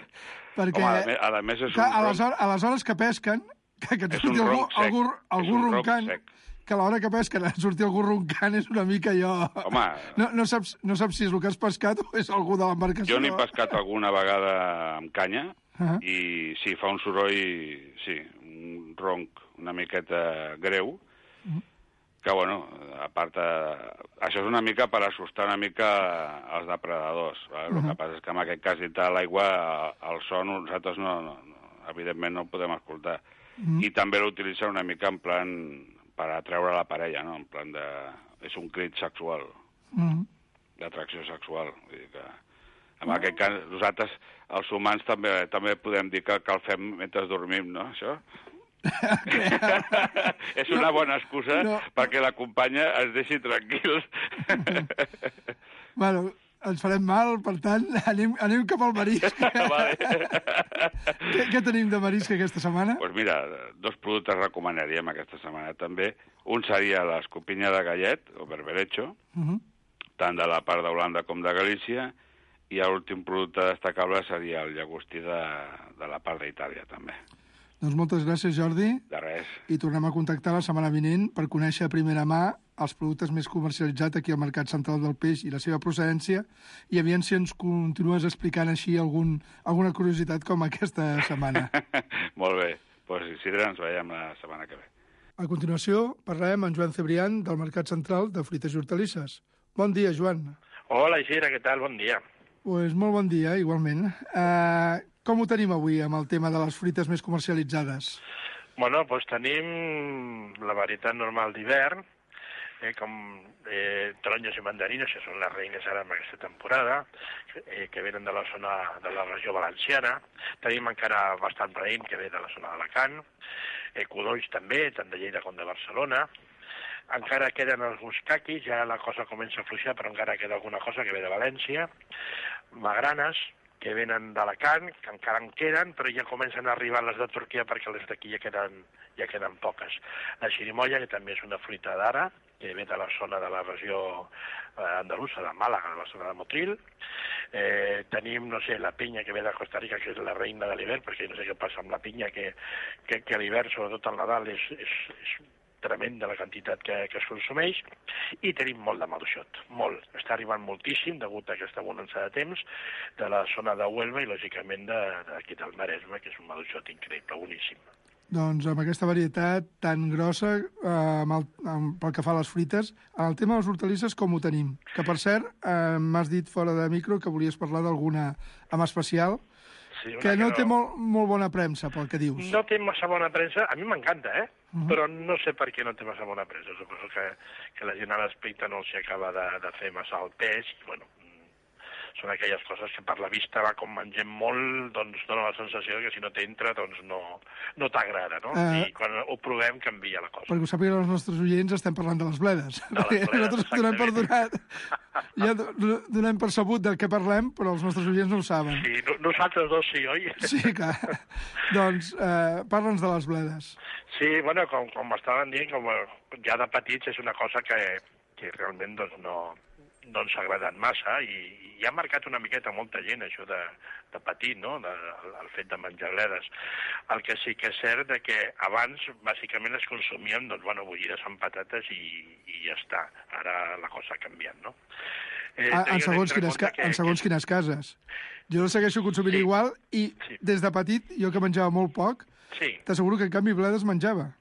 perquè... Home, a, més, a més és que un a, les ronc... hores, a les hores que pesquen, que, que et És surti un algú, ronc sec. algú, algú És un ronc roncant, sec. que a l'hora que pesquen et surti algú roncant és una mica allò... Home... No, no, saps, no saps si és el que has pescat o és algú de l'embarcació. Jo n'he pescat alguna vegada amb canya, Uh -huh. i sí, fa un soroll, sí, un ronc una miqueta greu, Uh -huh. que, bueno, a part, eh, això és una mica per assustar una mica els depredadors. Eh? El Uh -huh. que passa és que en aquest cas, dintre de l'aigua, el son nosaltres no, no, no, evidentment no el podem escoltar. Uh -huh. I també l'utilitzen una mica en plan per atreure la parella, no? En plan de... És un crit sexual, Uh -huh. d'atracció sexual. Vull dir que, en aquest cas, nosaltres, els humans, també també podem dir que, que el fem mentre dormim, no, això? És una bona excusa no. perquè la companya es deixi tranquils. Bueno, ens farem mal, per tant, anem, anem cap al marisc. Vale. què, què tenim de marisc aquesta setmana? Doncs pues mira, dos productes recomanaríem aquesta setmana també. Un seria l'escopinya de gallet, o berberecho, Uh -huh. tant de la part d'Holanda com de Galícia, i l'últim producte destacable seria el llagostí de, de la part d'Itàlia, també. Doncs moltes gràcies, Jordi. De res. I tornem a contactar la setmana vinent per conèixer a primera mà els productes més comercialitzats aquí al Mercat Central del Peix i la seva procedència, i aviam si ens continues explicant així algun, alguna curiositat com aquesta setmana. Molt bé. Doncs, pues, Isidre, ens veiem la setmana que ve. A continuació, parlarem amb Joan Cebrián, del Mercat Central de Fruites i Hortalisses. Bon dia, Joan. Hola, Isidre, què tal? Bon dia. Pues molt bon dia, igualment. Uh, com ho tenim avui amb el tema de les fruites més comercialitzades? Bueno, doncs tenim la varietat normal d'hivern, eh, com eh, taronges i mandarines, que són les reines ara en aquesta temporada, eh, que venen de la zona de la regió valenciana. Tenim encara bastant raïm, que ve de la zona d'Alacant. Eh, codolls també, tant de Lleida com de Barcelona. Encara queden alguns caquis, ja la cosa comença a fluixar, però encara queda alguna cosa que ve de València. Magranes, que venen d'Alacant, que encara en queden, però ja comencen a arribar les de Turquia perquè les d'aquí ja queden, ja queden poques. La xirimoia, que també és una fruita d'ara, que ve de la zona de la regió eh, andalusa, de Màlaga, de la zona de Motril. Eh, tenim, no sé, la pinya, que ve de Costa Rica, que és la reina de l'hivern, perquè no sé què passa amb la pinya, que, que, que a l'hivern, sobretot al Nadal, és, és, és tremenda la quantitat que, que es consumeix, i tenim molt de maduixot, molt. Està arribant moltíssim, degut a aquesta bonança de temps, de la zona de Huelva i, lògicament, d'aquí del Maresme, que és un maduixot increïble, boníssim. Doncs amb aquesta varietat tan grossa, eh, amb el, amb, pel que fa a les fruites, en el tema de les hortalisses com ho tenim? Que, per cert, eh, m'has dit fora de micro que volies parlar d'alguna en especial, sí, que no, que no té molt, molt bona premsa, pel que dius. No té massa bona premsa, a mi m'encanta, eh? Uh -huh. Però no sé per què no té massa bona premsa. Suposo que, que la gent a l'aspecte no s'hi acaba de, de fer massa el pes, i, bueno, són aquelles coses que per la vista va com mengem molt, doncs dona la sensació que si no t'entra doncs no, no t'agrada, no? Uh, I quan ho provem canvia la cosa. Perquè ho sàpiguen els nostres oients, estem parlant de les bledes. De les bledes, nosaltres donem per donat, ja donem per sabut del què parlem, però els nostres oients no ho saben. Sí, no, nosaltres dos sí, oi? Sí, clar. Doncs eh, parla'ns de les bledes. Sí, bueno, com, com estaven dient, com ja de petits és una cosa que, que realment doncs, no, no ens ha agradat massa i, i ha marcat una miqueta molta gent això de, de petit, no? De, el fet de menjar bledes. El que sí que és cert de que abans bàsicament es consumien doncs, bueno, bullides amb patates i, i ja està. Ara la cosa ha canviat, no? Eh, a, en, segons quines, que, en segons que... quines cases. Jo no segueixo consumint sí. igual i sí. des de petit, jo que menjava molt poc, sí. t'asseguro que en canvi bledes menjava.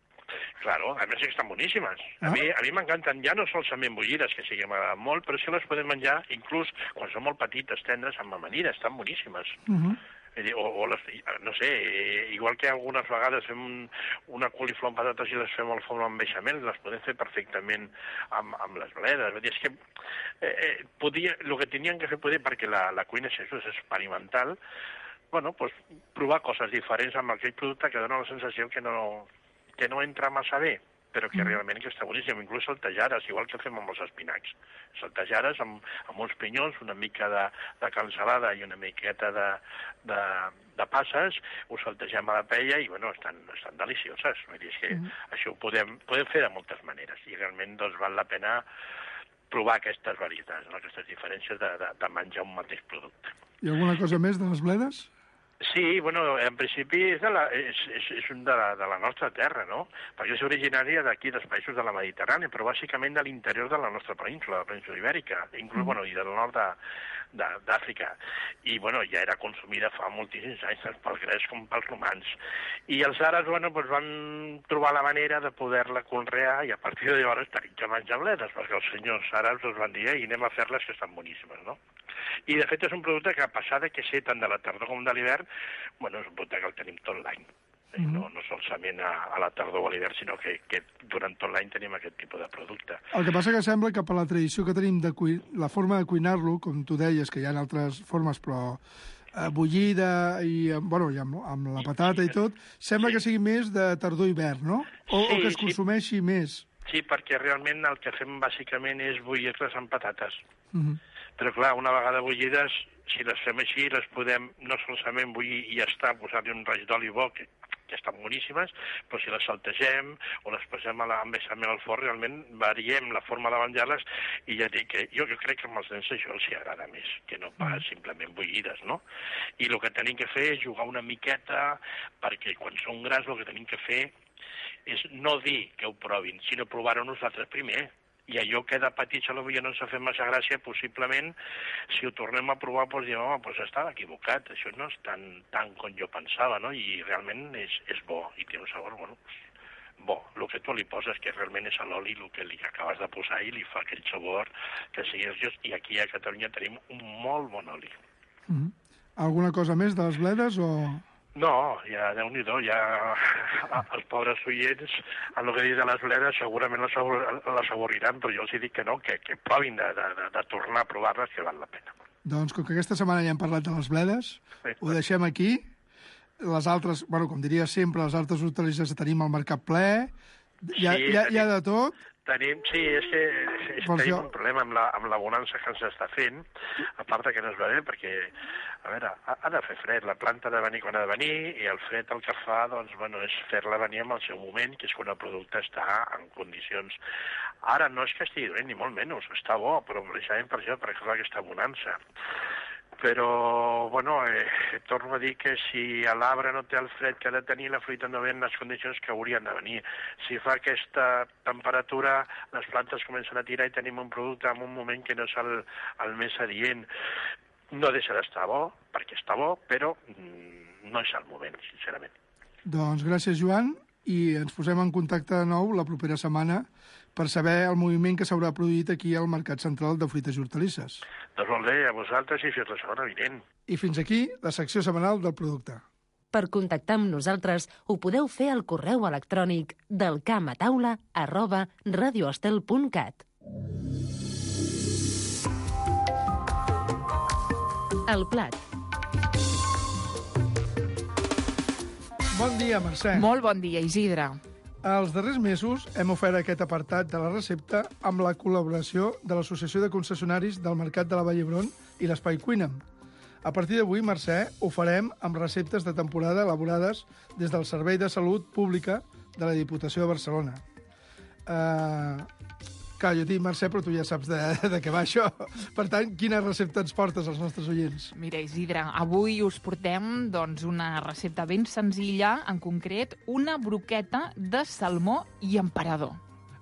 Claro, a més que estan boníssimes. A ah. mi a mi m'encanten ja no solament bullides, que sí que m'agraden molt, però sí les podem menjar inclús quan són molt petites, tendres, amb amanida, estan boníssimes. Uh -huh. O, o les, no sé, igual que algunes vegades fem un, una coliflor amb patates i les fem al forn amb beixamel, les podem fer perfectament amb, amb les bledes. Vull dir, és que eh, eh, podia, el que tenien que fer poder, perquè la, la cuina és això, és experimental, bueno, pues, provar coses diferents amb aquell producte que dona la sensació que no, que no entra massa bé, però que realment que està boníssim, inclús saltejares, igual que fem amb els espinacs. Saltejares amb, amb uns pinyons, una mica de, de cansalada i una miqueta de, de, de passes, ho saltegem a la paella i, bueno, estan, estan delicioses. Vull dir, és que mm. això ho podem, podem fer de moltes maneres i realment doncs, val la pena provar aquestes varietats, no? Aquestes diferències de, de, de menjar un mateix producte. I alguna cosa més de les bledes? Sí, bueno, en principi és, de la, és, és, és un de la, de la nostra terra, no? Perquè és originària d'aquí, dels països de la Mediterrània, però bàsicament de l'interior de la nostra península, la península ibèrica, inclús, mm. bueno, i del nord d'Àfrica. I, bueno, ja era consumida fa moltíssims anys, tant pels grecs com pels romans. I els àrabs, bueno, doncs van trobar la manera de poder-la conrear i a partir de llavors tenim que menjar bledes, perquè els senyors àrabs els van dir, i anem a fer-les que estan boníssimes, no? I, de fet, és un producte que, a passar de que sé tant de la tardor com de l'hivern, bueno, és un producte que el tenim tot l'any. Mm -hmm. No, no solament a, a la tardor o a l'hivern, sinó que, que durant tot l'any tenim aquest tipus de producte. El que passa que sembla que per la tradició que tenim de cuir... la forma de cuinar-lo, com tu deies, que hi ha altres formes, però eh, bullida i, bueno, i amb, amb la patata i tot, sembla sí. que sigui més de tardor-hivern, no? O, sí, o que es consumeixi sí. més. Sí, perquè realment el que fem bàsicament és bullir-les amb patates. Mm -hmm. Però, clar, una vegada bullides, si les fem així, les podem no solament bullir i ja està, posar-hi un raig d'oli bo, que, que estan boníssimes, però si les saltegem o les posem a la, amb beixamel al forn, realment variem la forma de menjar-les i ja dic que jo, jo crec que amb els nens això els hi agrada més, que no pas simplement bullides, no? I el que tenim que fer és jugar una miqueta, perquè quan són grans el que tenim que fer és no dir que ho provin, sinó provar-ho nosaltres primer. I allò que de petits potser no ens ha fet massa gràcia, possiblement, si ho tornem a provar, doncs diem, home, doncs estava equivocat, això no és tan, tan com jo pensava, no? I realment és, és bo, i té un sabor, bueno, bo. El que tu li poses, que realment és l'oli, el que li acabes de posar i li fa aquell sabor que sigui just, i aquí a Catalunya tenim un molt bon oli. Mm-hmm. Alguna cosa més de les bledes, o...? No, ja, Déu-n'hi-do, ja els pobres oients, en el que dic de les bledes, segurament les saboriran, però jo els dic que no, que, que provin de, de, de tornar a provar-les, que val la pena. Doncs, com que aquesta setmana ja hem parlat de les bledes, sí. ho deixem aquí. Les altres, bueno, com diria sempre, les altres hortalisses tenim al mercat ple, hi ha, sí, hi ha, hi ha de tot. Tenim, sí, és que és, tenim jo... un problema amb la, amb la bonança que ens està fent, a part que no es va bé, perquè, a veure, ha, ha de fer fred, la planta ha de venir quan ha de venir, i el fred el que fa, doncs, bueno, és fer-la venir en el seu moment, que és quan el producte està en condicions. Ara no és que estigui dolent, ni molt menys, està bo, però precisament per això, perquè és aquesta bonança. Però, bueno, eh, torno a dir que si l'arbre no té el fred que ha de tenir, la fruita no ve en les condicions que haurien de venir. Si fa aquesta temperatura, les plantes comencen a tirar i tenim un producte en un moment que no és el, el més adient. No deixa d'estar bo, perquè està bo, però mm, no és el moment, sincerament. Doncs gràcies, Joan, i ens posem en contacte de nou la propera setmana per saber el moviment que s'haurà produït aquí al Mercat Central de Fruites i Hortalisses. Doncs molt bé, a vosaltres i fins la setmana vinent. I fins aquí la secció setmanal del producte. Per contactar amb nosaltres ho podeu fer al correu electrònic del camp a taula arroba radioestel punt cat. El plat. Bon dia, Mercè. Molt bon dia, Isidre. Els darrers mesos hem ofert aquest apartat de la recepta amb la col·laboració de l'Associació de Concessionaris del Mercat de la Vall d'Hebron i l'Espai Cuina'm. A partir d'avui, Mercè, ho farem amb receptes de temporada elaborades des del Servei de Salut Pública de la Diputació de Barcelona. Uh, clar, jo dic Mercè, però tu ja saps de, de què va això. Per tant, quina recepta ens portes als nostres oients? Mira, Isidre, avui us portem doncs, una recepta ben senzilla, en concret, una broqueta de salmó i emperador.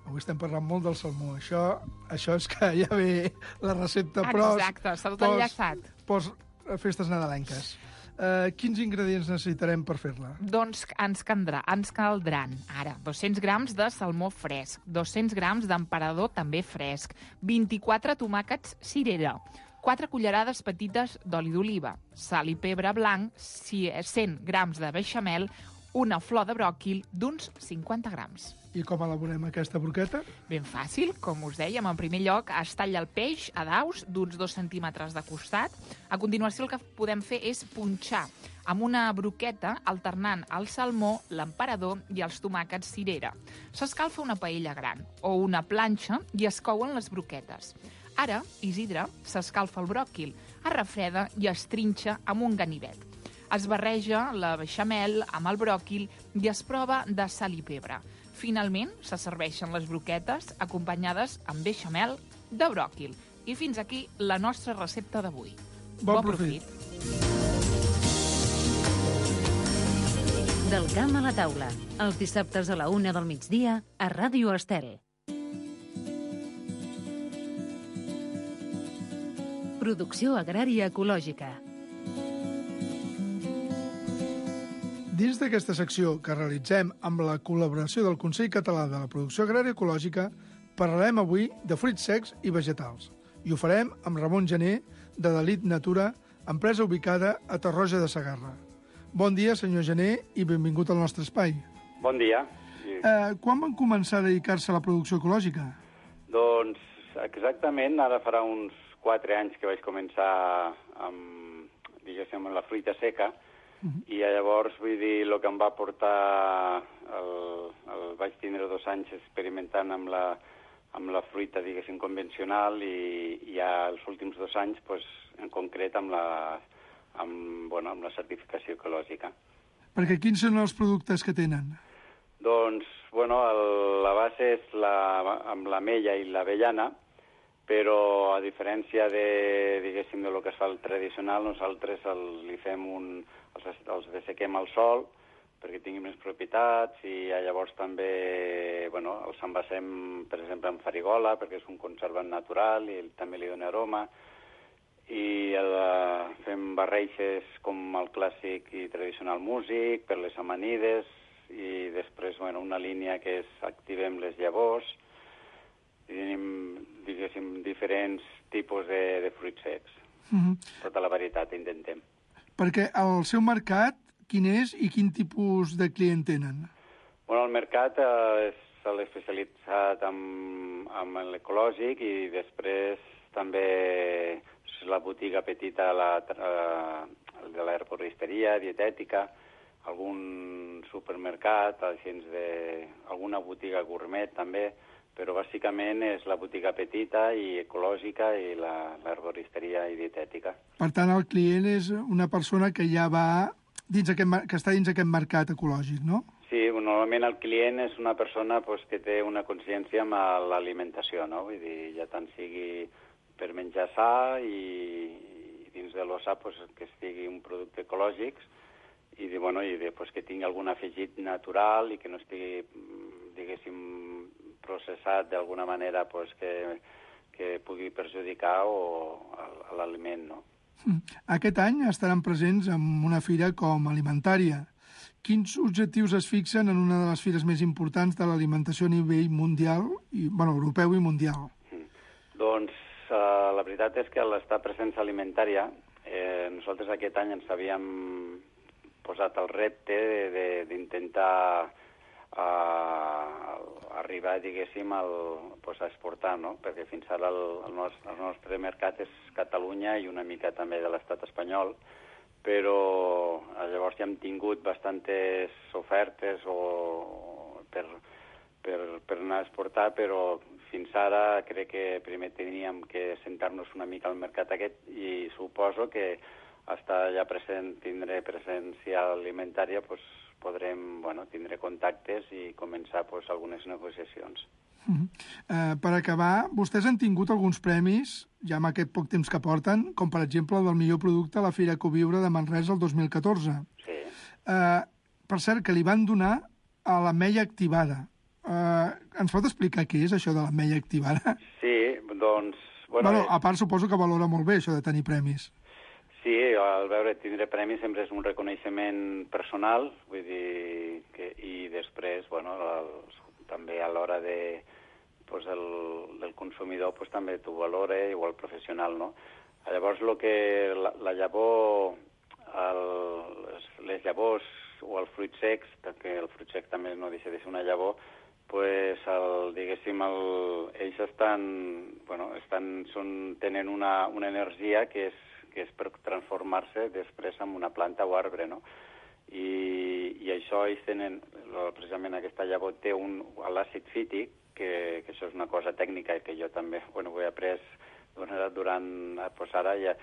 Avui estem parlant molt del salmó. Això, això és que ja ve la recepta, però... Exacte, està tot enllaçat. Post festes nadalenques. Uh, quins ingredients necessitarem per fer-la? Doncs ens caldrà, ens caldran ara dos-cents grams de salmó fresc, dos-cents grams d'emperador també fresc, vint-i-quatre tomàquets cirera, quatre cullerades petites d'oli d'oliva, sal i pebre blanc, cent grams de beixamel, una flor de bròquil d'uns cinquanta grams. I com elaborem aquesta broqueta? Ben fàcil, com us dèiem. En primer lloc, es talla el peix a daus d'uns dos centímetres de costat. A continuació, el que podem fer és punxar amb una broqueta alternant el salmó, l'emperador i els tomàquets cirera. S'escalfa una paella gran o una planxa i es couen les broquetes. Ara, Isidre, s'escalfa el bròquil, es refreda i es trinxa amb un ganivet. Es barreja la beixamel amb el bròquil i es prova de sal i pebre. Finalment, se serveixen les broquetes acompanyades amb beixamel de bròquil. I fins aquí la nostra recepta d'avui. Bon, bon profit. profit! Del camp a la taula, els dissabtes a la una del migdia a Ràdio Estel. Producció agrària ecològica. Dins d'aquesta secció que realitzem amb la col·laboració del Consell Català de la Producció Agrària Ecològica, parlarem avui de fruits secs i vegetals. I ho farem amb Ramon Gené, de Dalit Natura, empresa ubicada a Tarroja de Segarra. Bon dia, senyor Gené, i benvingut al nostre espai. Bon dia. Eh, quan van començar a dedicar-se a la producció ecològica? Doncs exactament, ara farà uns quatre anys que vaig començar amb, diguéssim, amb la fruita seca. Uh-huh. I llavors, vull dir, el que em va portar... El, el vaig tindre dos anys experimentant amb la, amb la fruita, diguéssim, convencional i, i ja els últims dos anys, pues, en concret, amb la, amb, bueno, amb la certificació ecològica. Perquè quins són els productes que tenen? Doncs, bueno, el, la base és la, amb l'amella i l'avellana, però a diferència de, diguéssim, de lo que es fa el tradicional, nosaltres el, li fem un... els, els dessequem al sol perquè tinguin més propietats i llavors també, bueno, els envasem, per exemple, en farigola perquè és un conservant natural i també li dona aroma i el, fem barreixes com el clàssic i tradicional músic per les amanides i després, bueno, una línia que és activem les llavors i tenim, diguéssim, diferents tipus de, de fruits secs. Uh-huh. Tota la varietat intentem. Perquè el seu mercat, quin és i quin tipus de client tenen? Bueno, el mercat eh, és l'especialitzat en, en l'ecològic i després també és la botiga petita la, eh, de l'herboristeria, dietètica, algun supermercat, de, alguna botiga gourmet també, però bàsicament és la botiga petita i ecològica i l'herboristeria i dietètica. Per tant, el client és una persona que ja va dins aquest, que està dins aquest mercat ecològic, no? Sí, normalment el client és una persona pues, que té una consciència amb l'alimentació, no? Vull dir, ja tant sigui per menjar sa i, i dins de l'ossa pues, que estigui un producte ecològic i, bueno, i pues, que tingui algun afegit natural i que no estigui, diguéssim, processat d'alguna manera pues, que, que pugui perjudicar o l'aliment, no? Aquest any estaran presents en una fira com Alimentària. Quins objectius es fixen en una de les fires més importants de l'alimentació a nivell mundial, i, bueno, europeu i mundial? Mm. Doncs uh, la veritat és que a l'estar presents a Alimentària, eh, nosaltres aquest any ens havíem posat el repte d'intentar a, a arribar, diguéssim, al, pues a exportar, no? Perquè fins ara el, el, nostre, el nostre mercat és Catalunya i una mica també de l'estat espanyol, però llavors ja hem tingut bastantes ofertes o per, per, per anar a exportar, però fins ara crec que primer teníem que sentar-nos una mica al mercat aquest i suposo que hasta ja present, tindré presència alimentària, pues, podrem bueno, tindre contactes i començar pues, algunes negociacions. Uh -huh. uh, per acabar, vostès han tingut alguns premis, ja amb aquest poc temps que porten, com per exemple el del millor producte a la Fira Ecoviure de Manresa el dos mil catorze. Sí. Uh, per cert, que li van donar a l'ametlla activada. Uh, ens pot explicar què és això de l'ametlla activada? Sí, doncs... Bueno, bueno, a part suposo que valora molt bé això de tenir premis. Sí, al veure tindre premis sempre és un reconeixement personal, vull dir, que, i després, bueno, els, també a l'hora de, pues, el, del consumidor pues, també t'ho valora, igual professional, no? Llavors, lo que la, la llavor, el, les, les llavors o els fruits secs, que el fruit sec també no deixa de ser una llavor, pues, el, diguéssim, el, ells estan, bueno, estan, són, tenen una, una energia que és que és per transformar-se després en una planta o arbre, no? I, i això ells tenen, precisament aquesta llavor té un, l'àcid fític, que, que això és una cosa tècnica que jo també, bueno, ho he après durant, pues ara ja,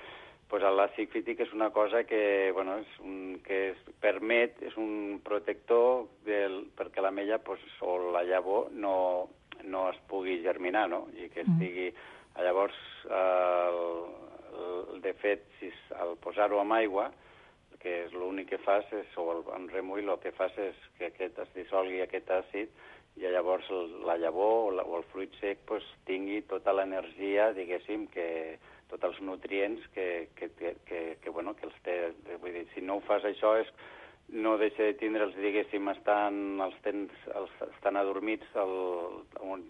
pues l'àcid fític és una cosa que, bueno, és un, que es permet, és un protector del, perquè l'ametlla, pues, o la llavor no, no es pugui germinar, no? I que estigui, llavors, el, de fet, si al posar-ho amb aigua, que és l'únic que fas, és, o amb remull, el que fas és que aquest es dissolgui aquest àcid i llavors la llavor o, la, o el fruit sec pues, tingui tota l'energia, diguéssim, que tots els nutrients que, que, que, que, que, bueno, que els té. Vull dir, si no ho fas això, és, no deixa de tindre'ls, diguéssim, estan, els tens, els, estan adormits, el,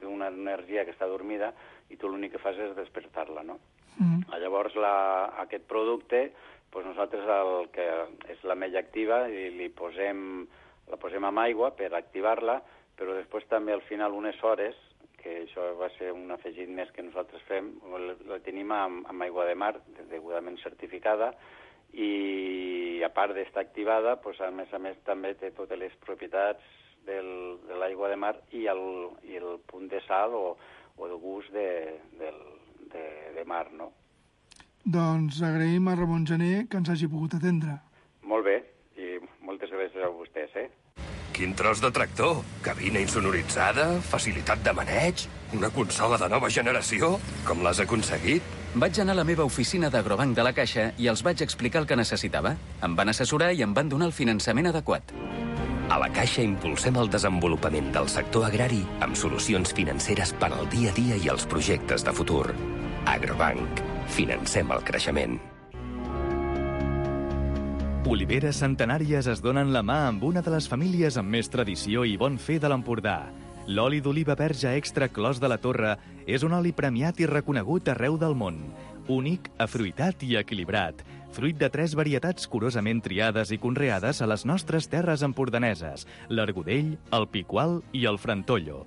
una energia que està adormida, i tu l'únic que fas és despertar-la, no? Mm. Llavors, la, aquest producte, doncs nosaltres el que és l'ametlla activa i li posem, la posem amb aigua per activar-la, però després també al final unes hores, que això va ser un afegit més que nosaltres fem, la tenim amb, amb aigua de mar, degudament certificada, i a part d'estar activada, doncs, a més a més també té totes les propietats del, de l'aigua de mar i el, i el punt de sal o, o de gust de, del, de, de mar, no? Doncs agraïm a Ramon Gené que ens hagi pogut atendre. Molt bé, i moltes gràcies a vostès, eh? Quin tros de tractor! Cabina insonoritzada, facilitat de maneig, una consola de nova generació. Com l'has aconseguit? Vaig anar a la meva oficina d'Agrobanc de la Caixa i els vaig explicar el que necessitava. Em van assessorar i em van donar el finançament adequat. A la Caixa impulsem el desenvolupament del sector agrari amb solucions financeres per al dia a dia i els projectes de futur. Agrobanc. Financem el creixement. Oliveres centenàries es donen la mà amb una de les famílies amb més tradició i bon fer de l'Empordà. L'oli d'oliva verge extra Clos de la Torre és un oli premiat i reconegut arreu del món. Únic, afruitat i equilibrat. Fruit de tres varietats curosament triades i conreades a les nostres terres empordaneses, l'Argudell, el Picual i el Frantollo.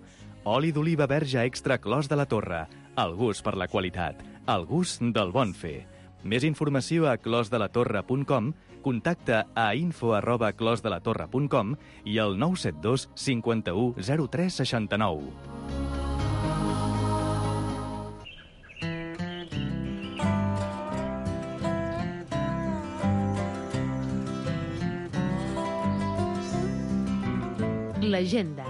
Oli d'oliva verge extra Clos de la Torre. El gust per la qualitat. El gust del bon fer. Més informació a clos de la torre punt com, contacta a info arroba clos de la torre punt com i al nou set dos cinquanta-u zero tres seixanta-nou. L'agenda.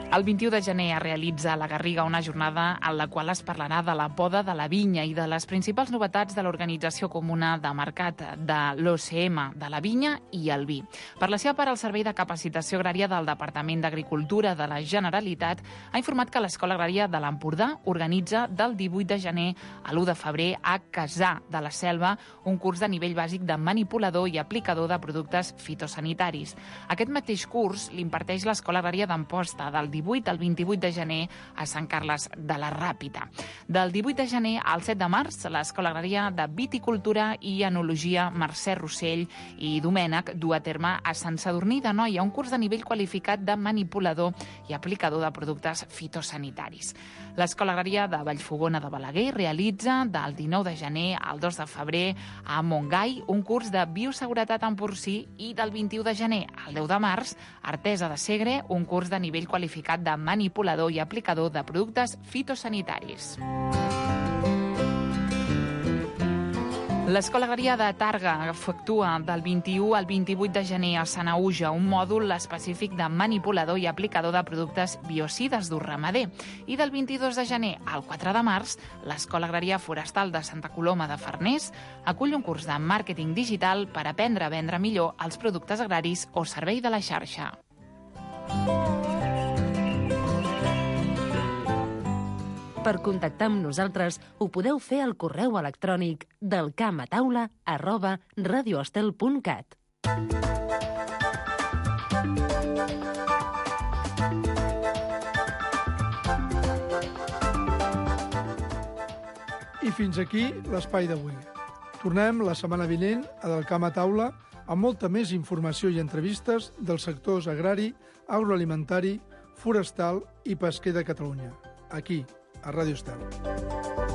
El vint-i-u de gener es realitza a la Garriga una jornada en la qual es parlarà de la poda de la vinya i de les principals novetats de l'Organització Comuna de Mercat de l'O C M, de la vinya i el vi. Per la seva part, el Servei de Capacitació Agrària del Departament d'Agricultura de la Generalitat ha informat que l'Escola Agrària de l'Empordà organitza del divuit de gener a l'u de febrer a Casà de la Selva un curs de nivell bàsic de manipulador i aplicador de productes fitosanitaris. Aquest mateix curs l'imparteix l'Escola Agrària d'Amposta del divuit al vint-i-vuit de gener a Sant Carles de la Ràpita. Del divuit de gener al set de març, l'Escola Agrària de Viticultura i Enologia Mercè Rossell i Domènec du a terme a Sant Sadurní d'Anoia un curs de nivell qualificat de manipulador i aplicador de productes fitosanitaris. L'Escola Agrària de Vallfogona de Balaguer realitza del dinou de gener al dos de febrer a Montgai un curs de bioseguretat en porcí i del vint-i-u de gener al deu de març a Artesa de Segre un curs de nivell qualificat de manipulador i aplicador de productes fitosanitaris. L'Escola Agrària de Targa efectua del vint-i-u al vint-i-vuit de gener a Sanaüja un mòdul específic de manipulador i aplicador de productes biocides d'ús ramader. I del vint-i-dos de gener al quatre de març, l'Escola Agrària Forestal de Santa Coloma de Farners acull un curs de màrqueting digital per aprendre a vendre millor els productes agraris o servei de la xarxa. Per contactar amb nosaltres ho podeu fer al correu electrònic del camp a taula arroba radioestel punt cat. I fins aquí l'espai d'avui. Tornem la setmana vinent a Del Camp a Taula amb molta més informació i entrevistes dels sectors agrari, agroalimentari, forestal i pesquer de Catalunya. Aquí, a Ràdio Estel.